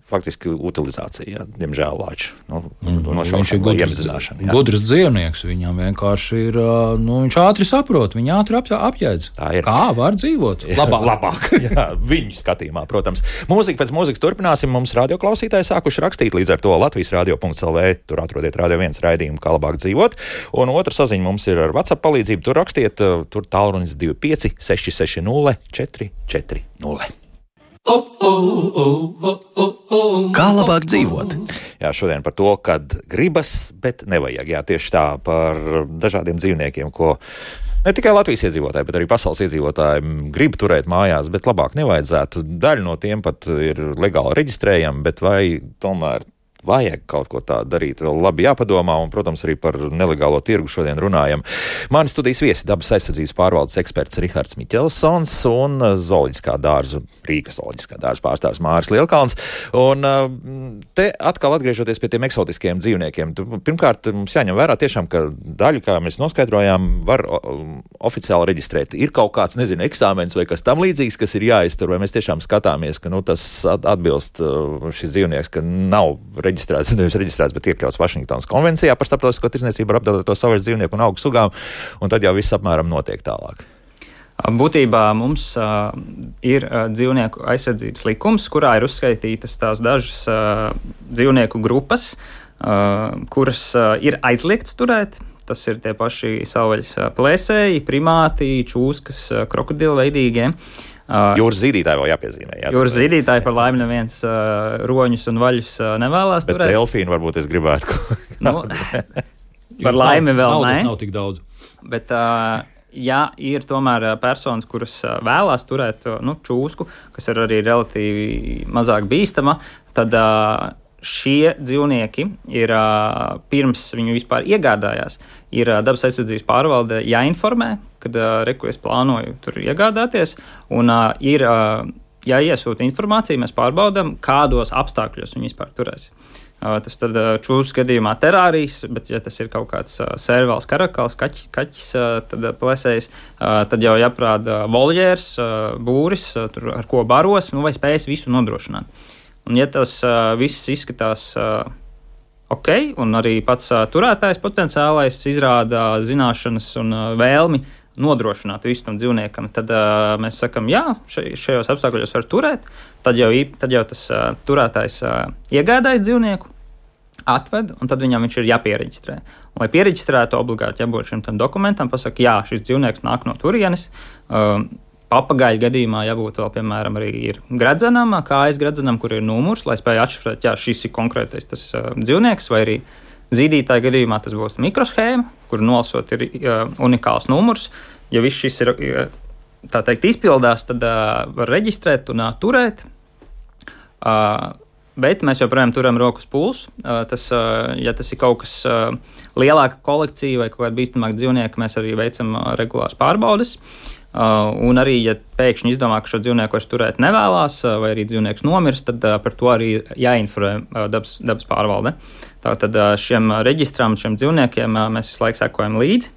faktiski utilizācija, jā, diemžēl lāču. Nu, no viņš ir gudrs, gudrs dzīvnieks, viņam vienkārši ir, nu, viņš ātri saprot, viņa ātri ap, apjēdz. Kā var dzīvot? Labāk. Labāk, jā, viņu skatījumā, protams. Mūzika pēc mūzikas turpināsim, mums radioklausītāji sākuši rakstīt, līdz ar to Latvijas radio punkts el vē, tur atrodiet Radio viens raidījumu, kā labāk dzīvot, un otra saziņa mums ir ar WhatsApp palīdzību, tur rakstiet, tur tālrunis divi pieci seši seši nulle četri četri nulle. Kā labāk dzīvot? Jā, šodien par to, kad gribas, bet nevajag. Jā, tieši tā, par dažādiem dzīvniekiem, ko ne tikai Latvijas iedzīvotāji, bet arī pasaules iedzīvotāji grib turēt mājās, bet labāk nevajadzētu. Daļa no tiem pat ir legāli reģistrējami, bet vai tomēr vajag kaut ko tādu darīt, vēl labi jāpadomā, un, protams, arī par nelegālo tirgu šodien runājam. Mani studijas viesi dabas aizsardzības pārvaldes eksperts Rihards Miķelsons un zooloģiskā dārza, Rīgas zooloģiskā dārza pārstāvs Māris Lielkalns. Un te atkal atgriežoties pie tiem eksotiskiem dzīvniekiem, pirmkārt, mums jāņem vērā tiešām, ka daļu, kā mēs noskaidrojām, var oficiāli reģistrēt. Ir kaut kāds, nezinu, eksāmens vai kas tam līdzīgs, kas ir jāiztur, vai mēs tiešām skatāmies, ka nu, tas atbilst šis dzīvnieks, ka nav reģistrēts, nevis reģistrēts, bet iekļauts Vašingtonas konvencijā par starptautisko tirdzniecību ar apdraudēto savvaļas dzīvnieku un augu sugām, un tad jau viss apmēram notiek tālāk. Būtībā mums uh, ir uh, dzīvnieku aizsardzības likums, kurā ir uzskaitītas tās dažas uh, dzīvnieku grupas, uh, kuras uh, ir aizliegts turēt. Tas ir tie paši savvaļas uh, plēsēji, primāti, čūskas, uh, krokodilveidīgie. Uh, jūras zīdītāji vēl jāpiezīmē. Jā, jūras zīdītāji par laimi neviens uh, roņus un vaļus uh, nevēlās bet turēt. Bet delfīnu varbūt es gribētu. nu, par laimi vēl naudas ne. Nav tik daudz. Bet, uh, ja ir tomēr personas, kuras uh, vēlās turēt uh, nu, čūsku, kas ir arī relatīvi mazāk bīstama, tad uh, šie dzīvnieki ir uh, pirms viņu vispār iegādājās, ir uh, dabas aizsardzības pārvalde jāinformē, kad uh, reku es plānoju tur iegādāties, un uh, ir uh, jāiesūta informācija, mēs pārbaudām, kādos apstākļos viņi vispār turēs. Uh, tas tad uh, čūskas gadījumā terārijas, bet ja tas ir kaut kāds uh, sērvāls, karakals, kaķis, kaķis uh, tad uh, plēsējs, uh, tad jau jāprāda voljērs, uh, būris, uh, tur, ar ko baros, nu, vai spējas visu nodrošināt. Un ja tas uh, viss izskatās uh, ok, un arī pats uh, turētājs potenciālais izrāda zināšanas un uh, vēlmi nodrošināt visu tam dzīvniekam, tad uh, mēs sakam, jā, šajos apstākļos var turēt, tad jau, tad jau tas uh, turētājs uh, iegādājas dzīvnieku, atved, un tad viņam viņš ir jāpiereģistrē. Un, lai piereģistrētu, obligāti jābūt šim tam dokumentam, pasaka, jā, šis dzīvnieks nāk no turienes, uh, papagaļu gadījumā jābūt vēl, piemēram, arī ir gredzenam, kājas gredzenam, kur ir numurs, lai spēj atšifrēt, jā, šis ir konkrētais tas uh, dzīvnieks, vai arī zīdītāja gadījumā tas būs mikroshēma, kur nolasot ir uh, unikāls numurs. Ja viss šis ir, tā teikt, izpildās, tad uh, var reģistrēt un uh, turēt. Uh, bet mēs joprojām turam rokas pulsu. Uh, tas, uh, ja tas ir kaut kas uh, lielāka kolekcija vai kaut kāda bīstamāka dzīvnieka, mēs arī veicam uh, regulāras pārbaudes. Uh, un arī, ja pēkšņi izdomā, ka šo dzīvnieku vairs turēt nevēlās, uh, vai arī dzīvnieks nomirst, tad uh, par to arī jāinformē uh, dabas, dabas pārvalde. Tātad uh, šiem reģistram, šiem dzīvniekiem uh, mēs visu laiku sekojam līdzi.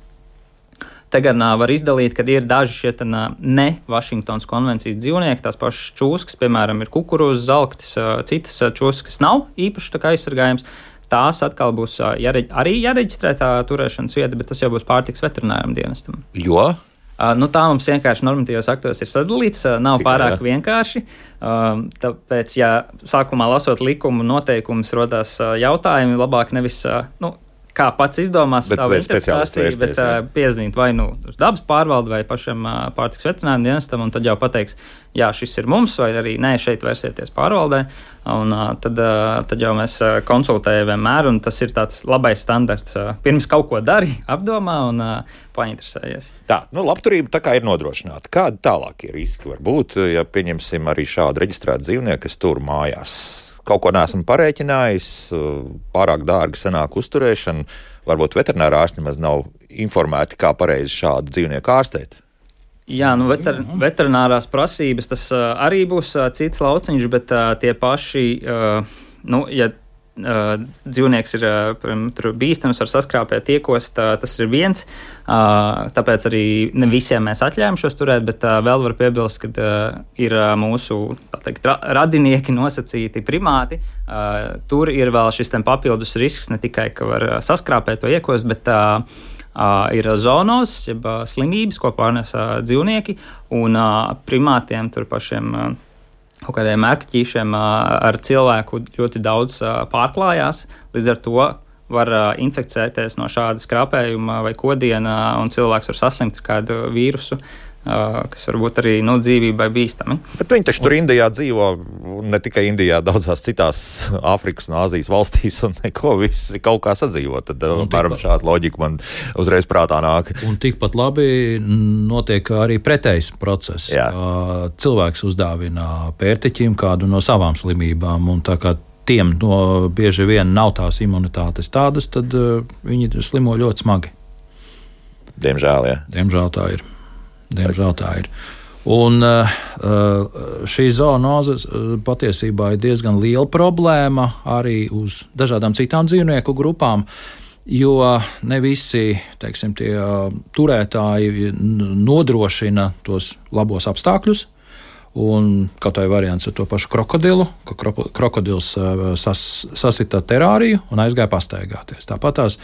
Te gan uh, var izdalīt, kad ir daži šie ten, uh, ne Vašingtonas konvencijas dzīvnieki, tās pašas čūskas, piemēram, ir kukurūzas, zalktis, uh, citas uh, čūskas, kas nav īpaši tā kā aizsargājums. Tās atkal būs uh, jāreģ, arī jāreģistrē tā turēšanas vieta, bet tas jau būs pārtiks veterināram dienestam. Jo? Uh, nu, tā mums vienkārši normatīvos aktos ir sadalīts, uh, nav Tikai, pārāk jā. vienkārši. Uh, tāpēc, ja sākumā lasot likumu noteikumus, rodās uh, jautājumi, labāk nevis, uh, nu, kā pats izdomās bet, savu interpretāciju, bet uh, piezīmīt vai nu uz dabas pārvaldi vai pašam uh, pārtiks veterināram dienestam, un tad jau pateiks, jā, šis ir mums, vai arī nē, šeit vērsieties pārvaldē, un uh, tad, uh, tad jau mēs uh, konsultējam vienmēr, un tas ir tāds labais standarts. Uh, pirms kaut ko dari, apdomā un uh, painteresējies. Tā, nu labturība tā kā ir nodrošināta. Kādi tālākie riski var būt, ja pieņemsim arī šādu reģistrētu dzīvnieku, kas tur mājās? Kaut ko neesmu parēķinājis, pārāk dārgi sanāk uzturēšana, varbūt veterinārā ārsti nemaz nav informēti, kā pareizi šādu dzīvnieku ārstēt. Jā, nu veter, veterinārās prasības tas uh, arī būs uh, cits lauciņš, bet uh, tie paši, uh, nu, ja uh, dzīvnieks ir uh, bīstams, var saskrāpēt, iekost, uh, tas ir viens, uh, tāpēc arī ne visiem mēs atļājam šos turēt, bet uh, vēl var piebilst, ka uh, ir uh, mūsu, tā teikt, ra radinieki nosacīti primāti, uh, tur ir vēl šis ten papildus risks, ne tikai, ka var uh, saskrāpēt vai iekost, bet uh, Uh, ir zoonos, jeb uh, slimības, ko pārnes uh, dzīvnieki, un uh, primātiem tur pašiem uh, kaut kādiem mērķīšiem uh, ar cilvēku ļoti daudz uh, pārklājās. Līdz ar to var uh, inficēties no šāda skrāpējuma vai kodiena, un cilvēks var saslimt ar kādu vīrusu, uh, kas varbūt arī nu, dzīvībai bīstami. Bet viņi taču tur Indijā dzīvo, ne tikai Indijā, daudzās citās Āfrikas un Āzijas valstīs, un neko visi kaut kā sadzīvo. Tad, piemēram, šāda loģika man uzreiz prātā nāk. Un tikpat labi notiek arī pretējs process. Jā. Cilvēks uzdāvina pērtiķim kādu no savām slimībām, un tā kā tiem no bieži vien nav tās imunitātes tādas, tad uh, viņi slimo ļoti smagi. Diemžēl, jā. Diemžēl tā ir. Diemžēl tā ir. Un uh, šī zoonoze patiesībā ir diezgan liela problēma arī uz dažādām citām dzīvnieku grupām, jo ne visi, teiksim, tie turētāji nodrošina tos labos apstākļus. Un kaut vai variants ar to pašu krokodilu, ka krokodils sas, sasita terāriju un aizgāja pastaigāties. Tāpat tās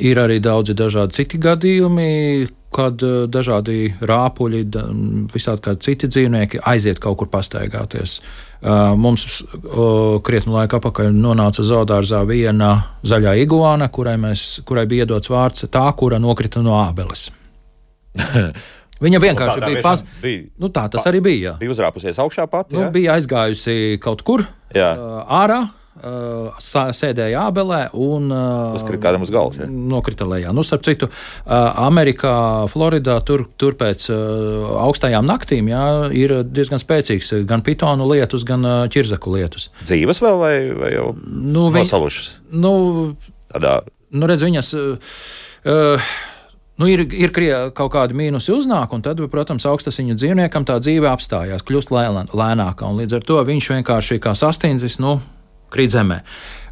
ir arī daudzi dažādi citi gadījumi, kad dažādi rāpuļi, visādi kādi citi dzīvnieki aiziet kaut kur pastaigāties. Mums krietnu laiku apakaļ nonāca zoodārzā viena zaļā iguāna, kurai, mēs, kurai bija iedots vārds tā, kura nokrita no ābeles. Viņa vienkārši bija pas... bija. Nu, tā tas pa... arī bija. Jā. Bija uzrāpusies augšā pati. Nu, bija aizgājusi kaut kur jā. ārā, sēdēja ābelē un uzkrita kādam uz galvas. Ja? Nokrita lejā. Nu, starp citu, Amerikā, Floridā, tur, tur pēc augstajām naktīm jā, ir diezgan spēcīgs gan pitonu lietus, gan ķirzaku lietus. Dzīves vēl vai, vai jau nu, nosalušas? Nu, Tādā... nu, redz, viņas... Uh, Nu, ir ir kaut kādi mīnusi uznāk, un tad, protams, augstasiņu dzīvniekam tā dzīve apstājās, kļūst lēnākā, un līdz ar to viņš vienkārši kā sastindzis, nu, krīt zemē.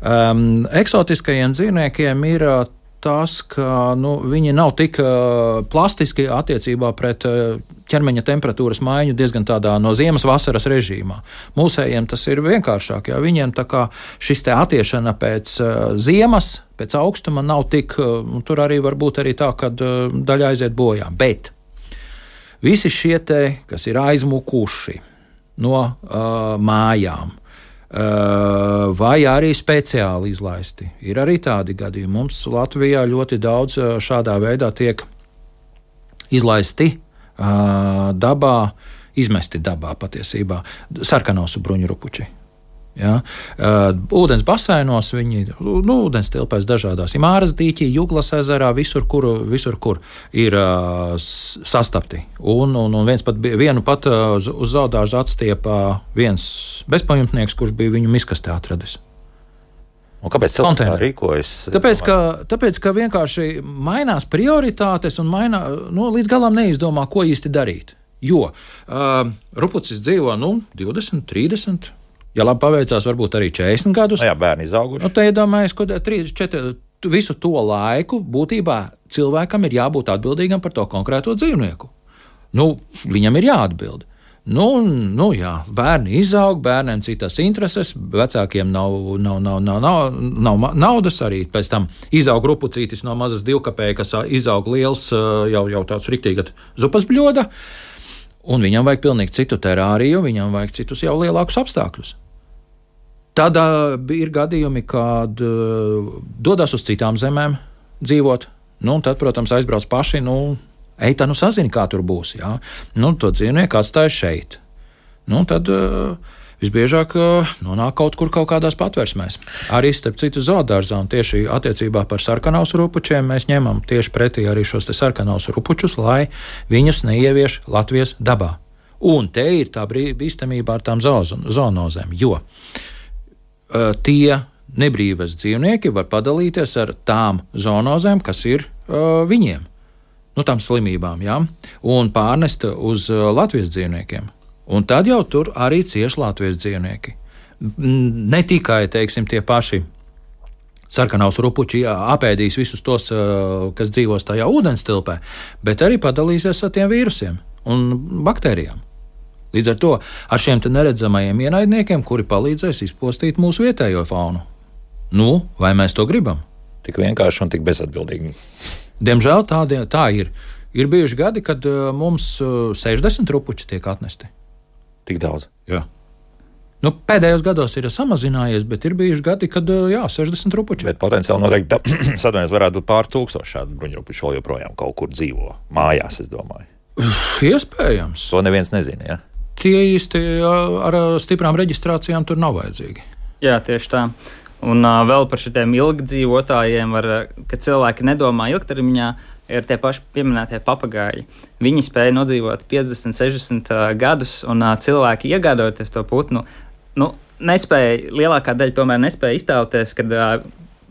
Um, eksotiskajiem dzīvniekiem ir uh, tas, ka nu, viņi nav tik uh, plastiski attiecībā pret uh, ķermeņa temperatūras maiņu diezgan tādā no ziemas vasaras režīmā. Mūsējiem tas ir vienkāršāk, jā, viņiem tā kā šis te attiešana pēc uh, ziemas, pēc augstuma nav tik, un tur arī var būt arī tā, ka daļa aiziet bojā. Bet visi šie te, kas ir aizmukuši no uh, mājām, uh, vai arī speciāli izlaisti, ir arī tādi gadījumi. Mums Latvijā ļoti daudz šādā veidā tiek izlaisti uh, dabā, izmesti dabā patiesībā sarkanosu bruņurupuči. Ja? Uh, ūdens basēnos viņi, nu, ūdens tilpēs dažādās Imāras dīķī, Juglas ezerā, visur, kur, visur, kur ir uh, sastapti. Un, un, un viens pat, vienu pat uh, uz, uz zoodārzu atstiepa viens bezpajumtnieks, kurš bija viņu miskastē atradis. Un kāpēc cilvēki tā rīkojas? Tāpēc ka, tāpēc, ka vienkārši mainās prioritātes un mainā, nu, līdz galam neizdomā, ko īsti darīt. Jo uh, rupucis dzīvo, nu, divdesmit, trīsdesmit, ja labi paveicās, varbūt arī četrdesmit gadus. Jā, bērni izauguši. Nu, te iedomājies, ka trīs, četri, visu to laiku būtībā cilvēkam ir jābūt atbildīgam par to konkrēto dzīvnieku. Nu, viņam ir jāatbild. Nu, nu jā, bērni izaug, bērniem citas intereses, vecākiem nav, nav, nav, nav, nav, nav naudas arī. Pēc tam izaug rupucītis no mazas divkapēja, kas izaug liels, jau, jau tāds riktīgi zupas bļoda, un viņam vajag pilnīgi citu terāriju, viņam vajag citus jau lielākus apstākļus. Tad uh, ir gadījumi, kad uh, dodas uz citām zemēm dzīvot, nu, un tad, protams, aizbrauc paši, nu, ej, tā nu sazini, kā tur būs. Jā. Nu, to dzīvnieku atstāja šeit. Nu, tad uh, visbiežāk uh, nonāk kaut kur kaut kādās patversmēs. Arī starp citu zoodārzā un tieši attiecībā par sarkanausu rupučiem mēs ņemam tieši pretī arī šos te sarkanausu rupučus, lai viņus neievieš Latvijas dabā. Un te ir tā bīstamība ar tām zoonozēm, jo uh, tie nebrīvas dzīvnieki var padalīties ar tām zoonozēm, kas ir uh, viņiem. Nu, tām slimībām, jā, un pārnest uz Latvijas dzīvniekiem. Un tad jau tur arī cieš Latvijas dzīvnieki. Ne tikai, teiksim, tie paši sarkanaus rupuči apēdīs visus tos, kas dzīvos tajā ūdenstilpē, bet arī padalīsies ar tiem vīrusiem un baktērijām. Līdz ar to ar šiem te neredzamajiem ienaidniekiem, kuri palīdzēs izpostīt mūsu vietējo faunu. Nu, vai mēs to gribam? Tik vienkārši un tik bezatbildīgi. Diemžēl tā, tā ir. Ir bijuši gadi, kad uh, mums uh, sešdesmit rupuči tiek atnesti. Tik daudz? Jā. Nu, pēdējos gados ir samazinājies, bet ir bijuši gadi, kad uh, jā, sešdesmit rupuči. Bet potenciāli noteikti sadarbības varētu būt pār tūkstoši šādu bruņurupuču vēl joprojām kaut kur dzīvo. Mājās, es domāju. Iespējams. To neviens nezina, jā? Tie īsti ar stiprām reģistrācijām tur nav vajadzīgi. Jā, tieši tā. Un uh, vēl par šiem ilgdzīvotājiem, var, ka cilvēki nedomā ilgtermiņā, ir tie paši pieminētie papagāji. Viņi spēja nodzīvot piecdesmit, sešdesmit uh, gadus, un uh, cilvēki iegādoties to putnu, nu, nespēja, lielākā daļa tomēr nespēja iztēloties, kad uh,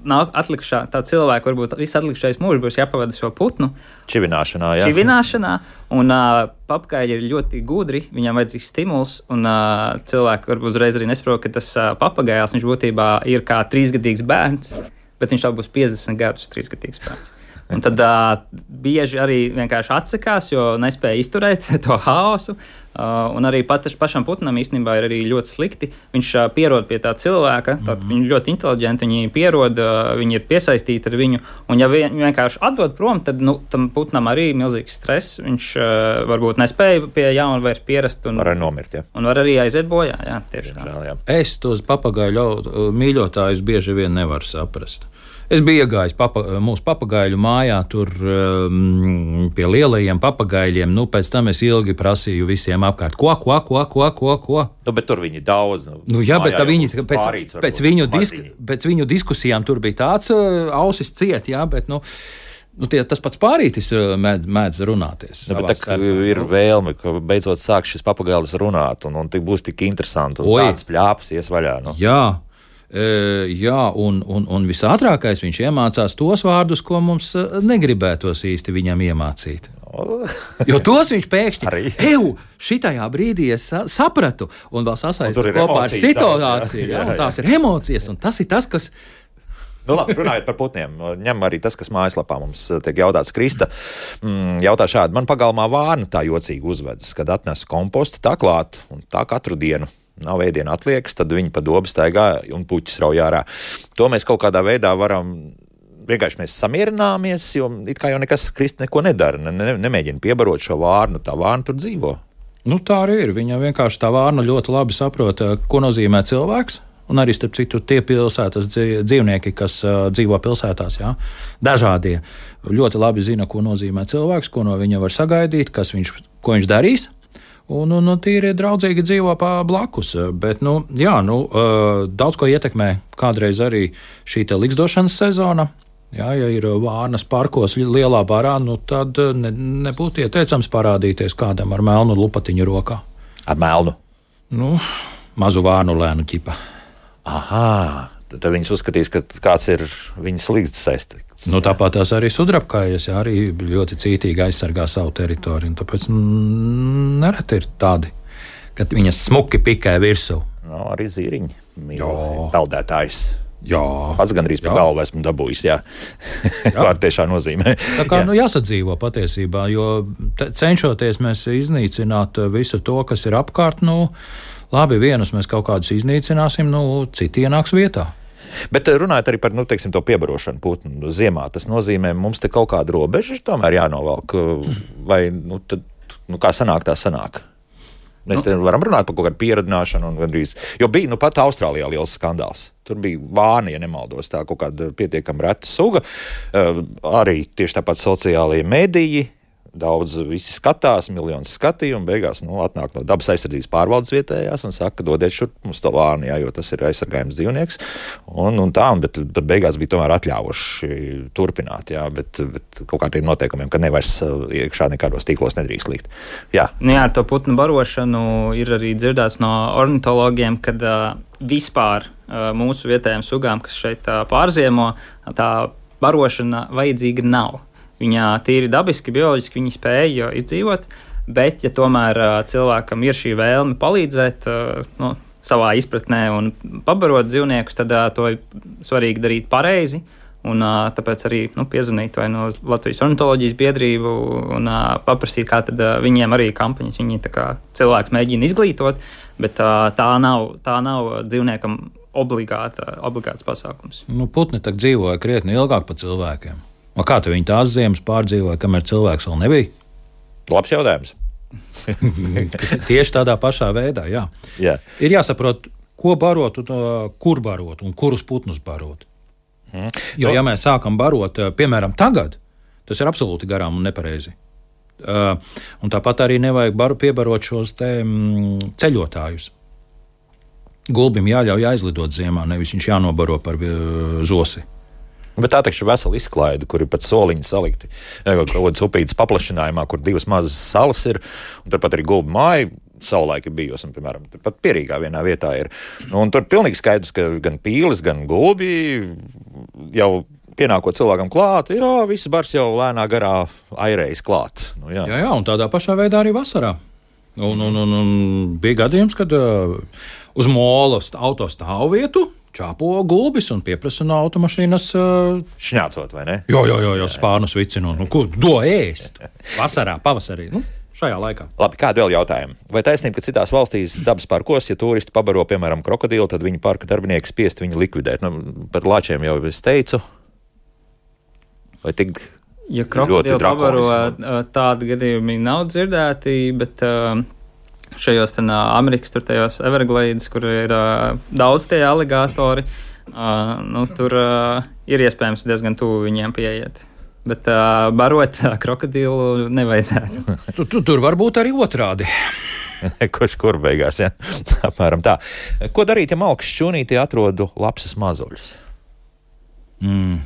nāk atlikušā, tā cilvēka varbūt visu atlikušais mūžs būs jāpavada šo putnu. Čivināšanā, jā. Čivināšanā, un uh, papagāji ir ļoti gudri, viņam vajadzīgs stimuls, un uh, cilvēki varbūt uzreiz arī nesaprot, ka tas uh, papagājās, viņš būtībā ir kā trīsgadīgs bērns, bet viņš tā būs piecdesmit gadus trīsgadīgs bērns. Un tad uh, bieži arī vienkārši atsakās, jo nespēja izturēt to haosu. Uh, un arī pat, pašam putnam īstenībā ir arī ļoti slikti. Viņš uh, pierod pie tā cilvēka, tad mm. viņi ļoti inteliģenti, viņi pierod, uh, viņi ir piesaistīti ar viņu. Un ja viņi vienkārši atdod prom, tad nu, tam putnam arī ir milzīgs stress. Viņš uh, varbūt nespēja pie jauna vairs pierast. Un var arī nomirt, jā. Un var arī aiziet bojā, jā, tieši tā. Jā. Es tos papagaiļu mīļotājus bieži vien nevaru saprast. Es biju iegājis papa, mūsu papagaiļu mājā, tur um, pie lielajiem papagaiļiem. Nu, pēc tam es ilgi prasīju visiem apkārt, ko, ko, ko, ko, ko, ko. Nu, bet tur viņi daudz. Nu, nu, jā, bet viņi, pēc, pēc, viņu disk, pēc viņu diskusijām tur bija tāds uh, ausis ciet, jā, bet, nu, nu tie, tas pats pārītis mēdz, mēdz runāties. Nu, bet tā ir vēlme, ka beidzot sāk šis papagailis runāt, un, un tik būs tik interesanti, un Oi. Tāds pļāps ies vaļā. Nu. Jā. E, jā, un, un, un visātrākais viņš iemācās tos vārdus, ko mums negribētos īsti viņam iemācīt. Jo tos viņš pēkšņi eju, šitajā brīdī es sapratu, un vēl sasaista kopā ar situāciju. Jā, jā, jā. Tās ir emocijas, un tas ir tas, kas. Nu, labi, runājot par putniem, ņem arī tas, kas mājaslapā mums tiek jautāts. Krista jautā šādi: man pagalmā vārna tā jocīgi uzvedas, kad atnes kompostu tā klāt, un tā katru dienu. Nav ēdiena atliekas, tad viņi pa dobu staigā un puķis rauj ārā. To mēs kaut kādā veidā varam, vienkārši mēs samierināmies, jo it kā jau nekas Krista neko nedara, ne, ne, nemēģina piebarot šo vārnu, tā vārna tur dzīvo. Nu tā arī ir, viņa vienkārši tā vārna ļoti labi saprot, ko nozīmē cilvēks, un arī starp citu tie pilsētas dzīvnieki, kas uh, dzīvo pilsētās, jā, dažādie, ļoti labi zina, ko nozīmē cilvēks, ko no viņa var sagaidīt, kas viņš, ko viņš darīs. Un, un, un tīri draudzīgi dzīvo pa blakus. Bet, nu, jā, nu, daudz ko ietekmē kādreiz arī šī te liksdošanas sezona. Jā, ja ir vārnas parkos lielā barā, nu, tad ne, nebūtu ieteicams parādīties kādam ar melnu lupatiņu rokā. Ar melnu? Nu, mazu vārnu lēnu ķipa. Aha, tad viņas uzskatīs, ka kāds ir viņas līgsts saistīts. Nu, tāpat tās arī sudrabkājas, jā, arī ļoti cītīgi aizsargā savu teritoriju. Tāpēc mm, nereti ir tādi, kad viņas smuki pikē virsū. No, arī zīriņi, mīl peldētājs. Jā. Pats gandrīz pa galvu esmu dabūjis, jā. Vārdu tiešā nozīmē. Tā kā jā. Nu, jāsadzīvo patiesībā, jo cenšoties mēs iznīcināt visu to, kas ir apkārt, nu, labi, vienus mēs kaut kādus iznīcināsim, nu, citi ienāks vietā. Bet runājot arī par, nu, teiksim, to piebarošanu putnu ziemā, tas nozīmē, mums te kaut kāda robeža tomēr jānovelk, vai, nu, tad, nu, kā sanāk, tā sanāk. Mēs te varam runāt par kaut kādu pieradināšanu un gandrīz, jo bija, nu, pat Austrālijā liels skandāls. Tur bija vāni, ja nemaldos, tā kaut kāda pietiekami reta suga. Uh, arī tieši tāpat sociālajie mediji, daudz visi skatās, miljonus skatījumu, beigās, nu, atnāk no dabas aizsardzības pārvaldes vietējās un saka, dodiet šur mums to vāni, jā, jo tas ir aizsargājums dzīvnieks. Un, un tā, bet, bet beigās bija tomēr atļāvuši turpināt, jā, bet, bet kaut kādiem noteikumiem, ka nevairs iekšā nekādos tīklos nedrīkst likt. Jā. Nu jā, ar to putnu barošanu ir arī dzirdēts no ornitologiem, kad uh, vispār uh, mūsu vietējiem sugām, kas šeit uh, pārziemo, tā barošana vajadzīga nav. Viņa tīri dabiski, bioloģiski viņa spēja izdzīvot, bet, ja tomēr uh, cilvēkam ir šī vēlme palīdzēt uh, nu, savā izpratnē un pabarot dzīvniekus, tad uh, to ir svarīgi darīt pareizi. Un, uh, tāpēc arī nu, piezvanīt vai no Latvijas ornitoloģijas biedrību un uh, paprasīt, kā tad uh, viņiem arī kampaņas. Viņi tā kā cilvēks mēģina izglītot, bet uh, tā nav, tā nav dzīvniekam obligāta, obligāts pasākums. Nu, putni tak dzīvoja krietni ilgāk par cilvēkiem. O kā tu viņi tās ziemas pārdzīvoja, kamēr cilvēks vēl nebija? Labs jautājums. Tieši tādā pašā veidā, jā. jā. Ir jāsaprot, ko barot, kur barot un kurus putnus barot. Hmm. Jo, ja mēs sākam barot, piemēram, tagad, tas ir absolūti garām un nepareizi. Uh, un tāpat arī nevajag baru, piebarot šos te mm, ceļotājus. Gulbim jāļauj aizlidot ziemā, nevis viņš jānobaro par uh, zosi. Bet tā taču ir vesela izklaide, kur ir pat soliņi salikti. Kaut kādas upītas paplašinājumā, kur divas mazas salas ir, un turpat arī gulbi māja savulaik ir bijusi, un, piemēram, pat Pierīgā vienā vietā ir. Nu, un tur pilnīgi skaidrs, ka gan pīlis, gan gulbi jau pienākot cilvēkam klāt, jā, viss bars jau lēnā garā airējas klāt. Nu, jā. jā, jā, un tādā pašā veidā arī vasarā. Un, un, un, un bija gadījums, kad uh, uz mola auto stāvvietu čāpo gulbis un pieprasa no automašīnas uh... šņācot, vai ne? Jā, jā, jā, jā spārnus vicinot. Nu, ko do ēst? Vasarā, pavasarī, nu, šajā laikā. Labi, kādi vēl jautājumi? Vai taisnība, ka citās valstīs dabas parkos, ja turisti pabaro, piemēram, krokodilu, tad viņi parka darbinieki spiest viņu likvidēt? Nu, par lāčiem jau es teicu. Vai tik ja krokodilu pabaro, tādi gadījumi nav dzirdēti, bet uh, šajos ten, uh, Amerikas tur tajos Everglades, kur ir uh, daudz tie aligātori, uh, nu, tur uh, ir iespējams diezgan tuvu viņiem pieiet. Bet uh, barot uh, krokodilu nevajadzētu. tu, tu, tur var būt arī otrādi. Kurš kur beigās, ja? Apmēram tā. Ko darīt, ja malkas šķūnītī atrodu lapsas mazuļus? Mm.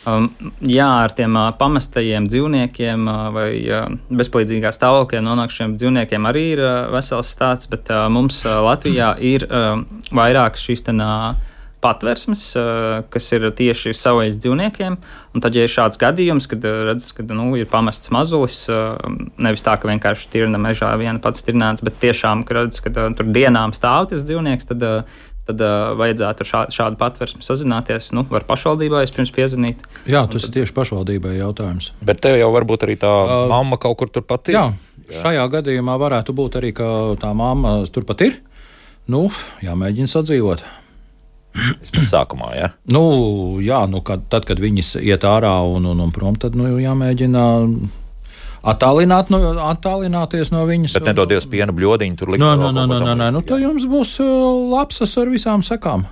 Um, jā, ar tiem uh, pamestajiem dzīvniekiem uh, vai uh, bezpalīdzīgā stāvoklī nonākušiem dzīvniekiem arī ir uh, vesels stāsts, bet uh, mums uh, Latvijā ir uh, vairākas šīs ten, uh, patversmes, uh, kas ir tieši savais dzīvniekiem. Un tad, ja ir šāds gadījums, kad uh, redzes, ka nu, ir pamests mazulis, uh, nevis tā, ka vienkārši tirna mežā viena pats tirnāts, bet tiešām, ka redzes, ka uh, tur dienām stāv tas dzīvnieks, tad uh, tad uh, vajadzētu ar šā, šādu patversmi sazināties. Nu, var pašvaldībā vispirms piezvanīt. Jā, tas tad... ir tieši pašvaldībai jautājums. Bet tev jau varbūt arī tā uh, mamma kaut kur turpat ir. Jā, jā, šajā gadījumā varētu būt arī, ka tā mamma turpat ir. Nu, jāmēģina sadzīvot. Vismaz sākumā, jā? Nu, jā, nu, kad, tad, kad viņas iet ārā un, un, un prom, tad nu, jāmēģina... Attālināt, nu, attālināties no viņas. Bet nedodies piena bļodiņu tur likt. Nē, nē, nē, nē, nē, nu tad jums būs lapsas ar visām sekām.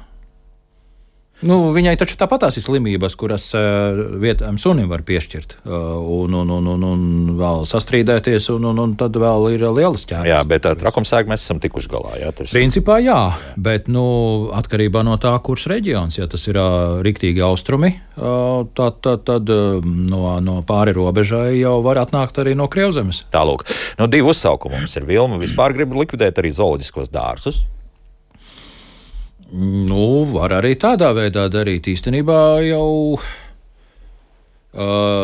Nu, viņai taču tāpatās ir slimības, kuras uh, vietējam sunim var piešķirt, uh, un, un, un, un, un vēl sastrīdēties, un, un, un tad vēl ir lielas ķēdes. Jā, bet ar trakumsēgu mēs esam tikuši galā. Jā, tas... Principā jā, jā, bet nu, atkarībā no tā, kurš reģions, ja tas ir uh, riktīgi austrumi, uh, tad, tad, tad uh, no, no pāri robežai jau var atnākt arī no Krievzemes. Tālūk, nu divi uzsaukumi mums ir. Vilma vispār grib likvidēt arī zooloģiskos dārzus. Nu, var arī tādā veidā darīt. Īstenībā jau uh,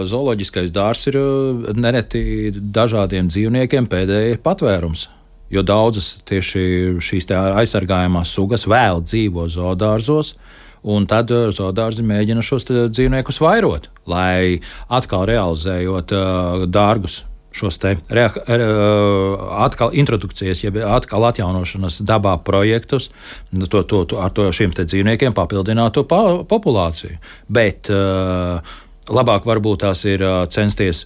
zooloģiskais dārzs ir uh, nereti dažādiem dzīvniekiem pēdējais patvērums. Jo daudzas tieši šīs aizsargājamās sugas vēl dzīvo zoodārzos, Un tad zoodārzi mēģina šos dzīvniekus vairot, lai atkal realizējot uh, dārgus šos te rea, re, atkal introdukcijas, jeb atkal atjaunošanas dabā projektus, to, to, to, ar to šiem te dzīvniekiem papildinātu pa, populāciju. Bet uh, labāk varbūt tās ir uh, censties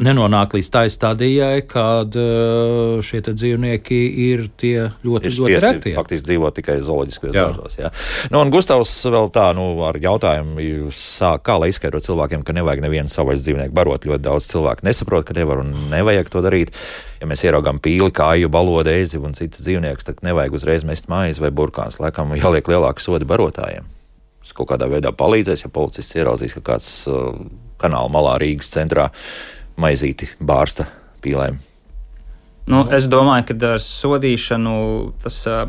nenonāk līdz tai stadijai, kad uh, šie dzīvnieki ir tie ļoti, ir ļoti reti. Faktiski dzīvo tikai zooloģiskajos dārzos. Jā. Nu, un Gustavs vēl tā, nu, ar jautājumu sāk, kā lai izskaidrot cilvēkiem, ka nevajag nevienu savvaļas dzīvnieku barot. Ļoti daudz cilvēku nesaprot, ka nevar un nevajag to darīt. Ja mēs ieraugām pīli, kāju, balodu, eizi un citas dzīvniekus, tad nevajag uzreiz mest maizi vai burkāns. Laikam jāliek lielāki sodi barotājiem. Tas kaut kādā veidā palīdzēs, ja policists ieraudzīs, ka kāds uh, kanāla malā Rīgas centrā maizīti bārsta pīlēm. Nu, es domāju, ka ar sodīšanu tas uh,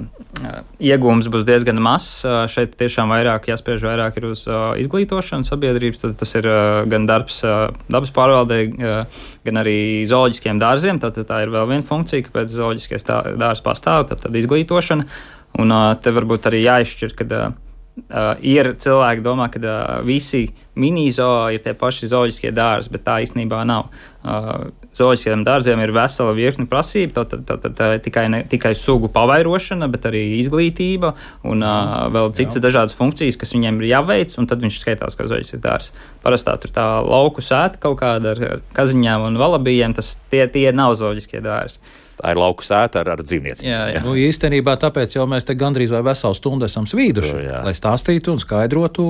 iegūms būs diezgan mazs. Uh, šeit tiešām vairāk jāspiež vairāk ir uz uh, izglītošanu sabiedrības. Tad tas ir uh, gan darbs uh, dabas pārvaldē, uh, gan arī zooloģiskiem dārziem. Tad tā ir vēl viena funkcija, kāpēc zooloģiskais dārzs pastāv, tad, tad izglītošana. Un uh, te varbūt arī jāizšķir, kad uh, Uh, ir cilvēki, kas domā, ka uh, visi mini-zoo ir tie paši zooloģiskie dārzi, bet tā īstenībā nav. Uh, zooloģiskiem dārziem ir vesela virkne prasību, tad, tad, tad, tad tikai, ne, tikai sugu pavairošana, bet arī izglītība un uh, vēl citas Jā. dažādas funkcijas, kas viņiem ir jāveic, un tad viņš skaitās kā zooloģisks dārzs. Parastā tur tā lauku sēta kaut kāda ar kaziņām un valabījiem, tas tie, tie nav zooloģiskie dārzi. Tā ir lauku sēta ar, ar dzīvniecību. Jā, jā. Nu, īstenībā tāpēc jau mēs te gandrīz vai veselu stundu esam svīduši, jā. lai stāstītu un skaidrotu,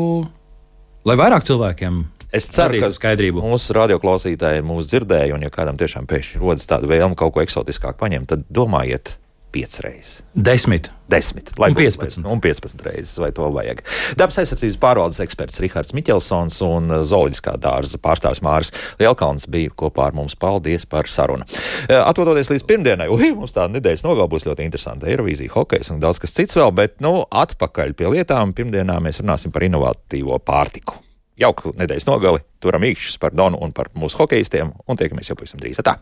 lai vairāk cilvēkiem Es ceru, ka skaidrību. Mūsu radioklausītāji mūs dzirdēja, un ja kādam tiešām pēkšņi rodas tāda vēlme kaut ko eksotiskāk paņemt, tad domājiet piecas reizes. Desmit. Desmit. Lai un piecpadsmit. Un piecpadsmit reizes, vai to vajag. Dabas aizsardzības pārvaldes eksperts Rihards Miķelsons un zooloģiskā dārza pārstāvis Māris Lielkalns bija kopā ar mums. Paldies par sarunu. Atvadoties līdz pirmdienai, ui, mums tā nedēļas nogal būs ļoti interesanta Eirovīzija, hokejs un daudz kas cits vēl, bet, nu, atpakaļ pie lietām. Pirmdienā mēs runāsim par inovatīvo pārtiku. Jauku nedēļas nogali, turam īkšķus par Donu un par mūsu hokejistiem, un tiekamies jau pavisam drīz. Tā!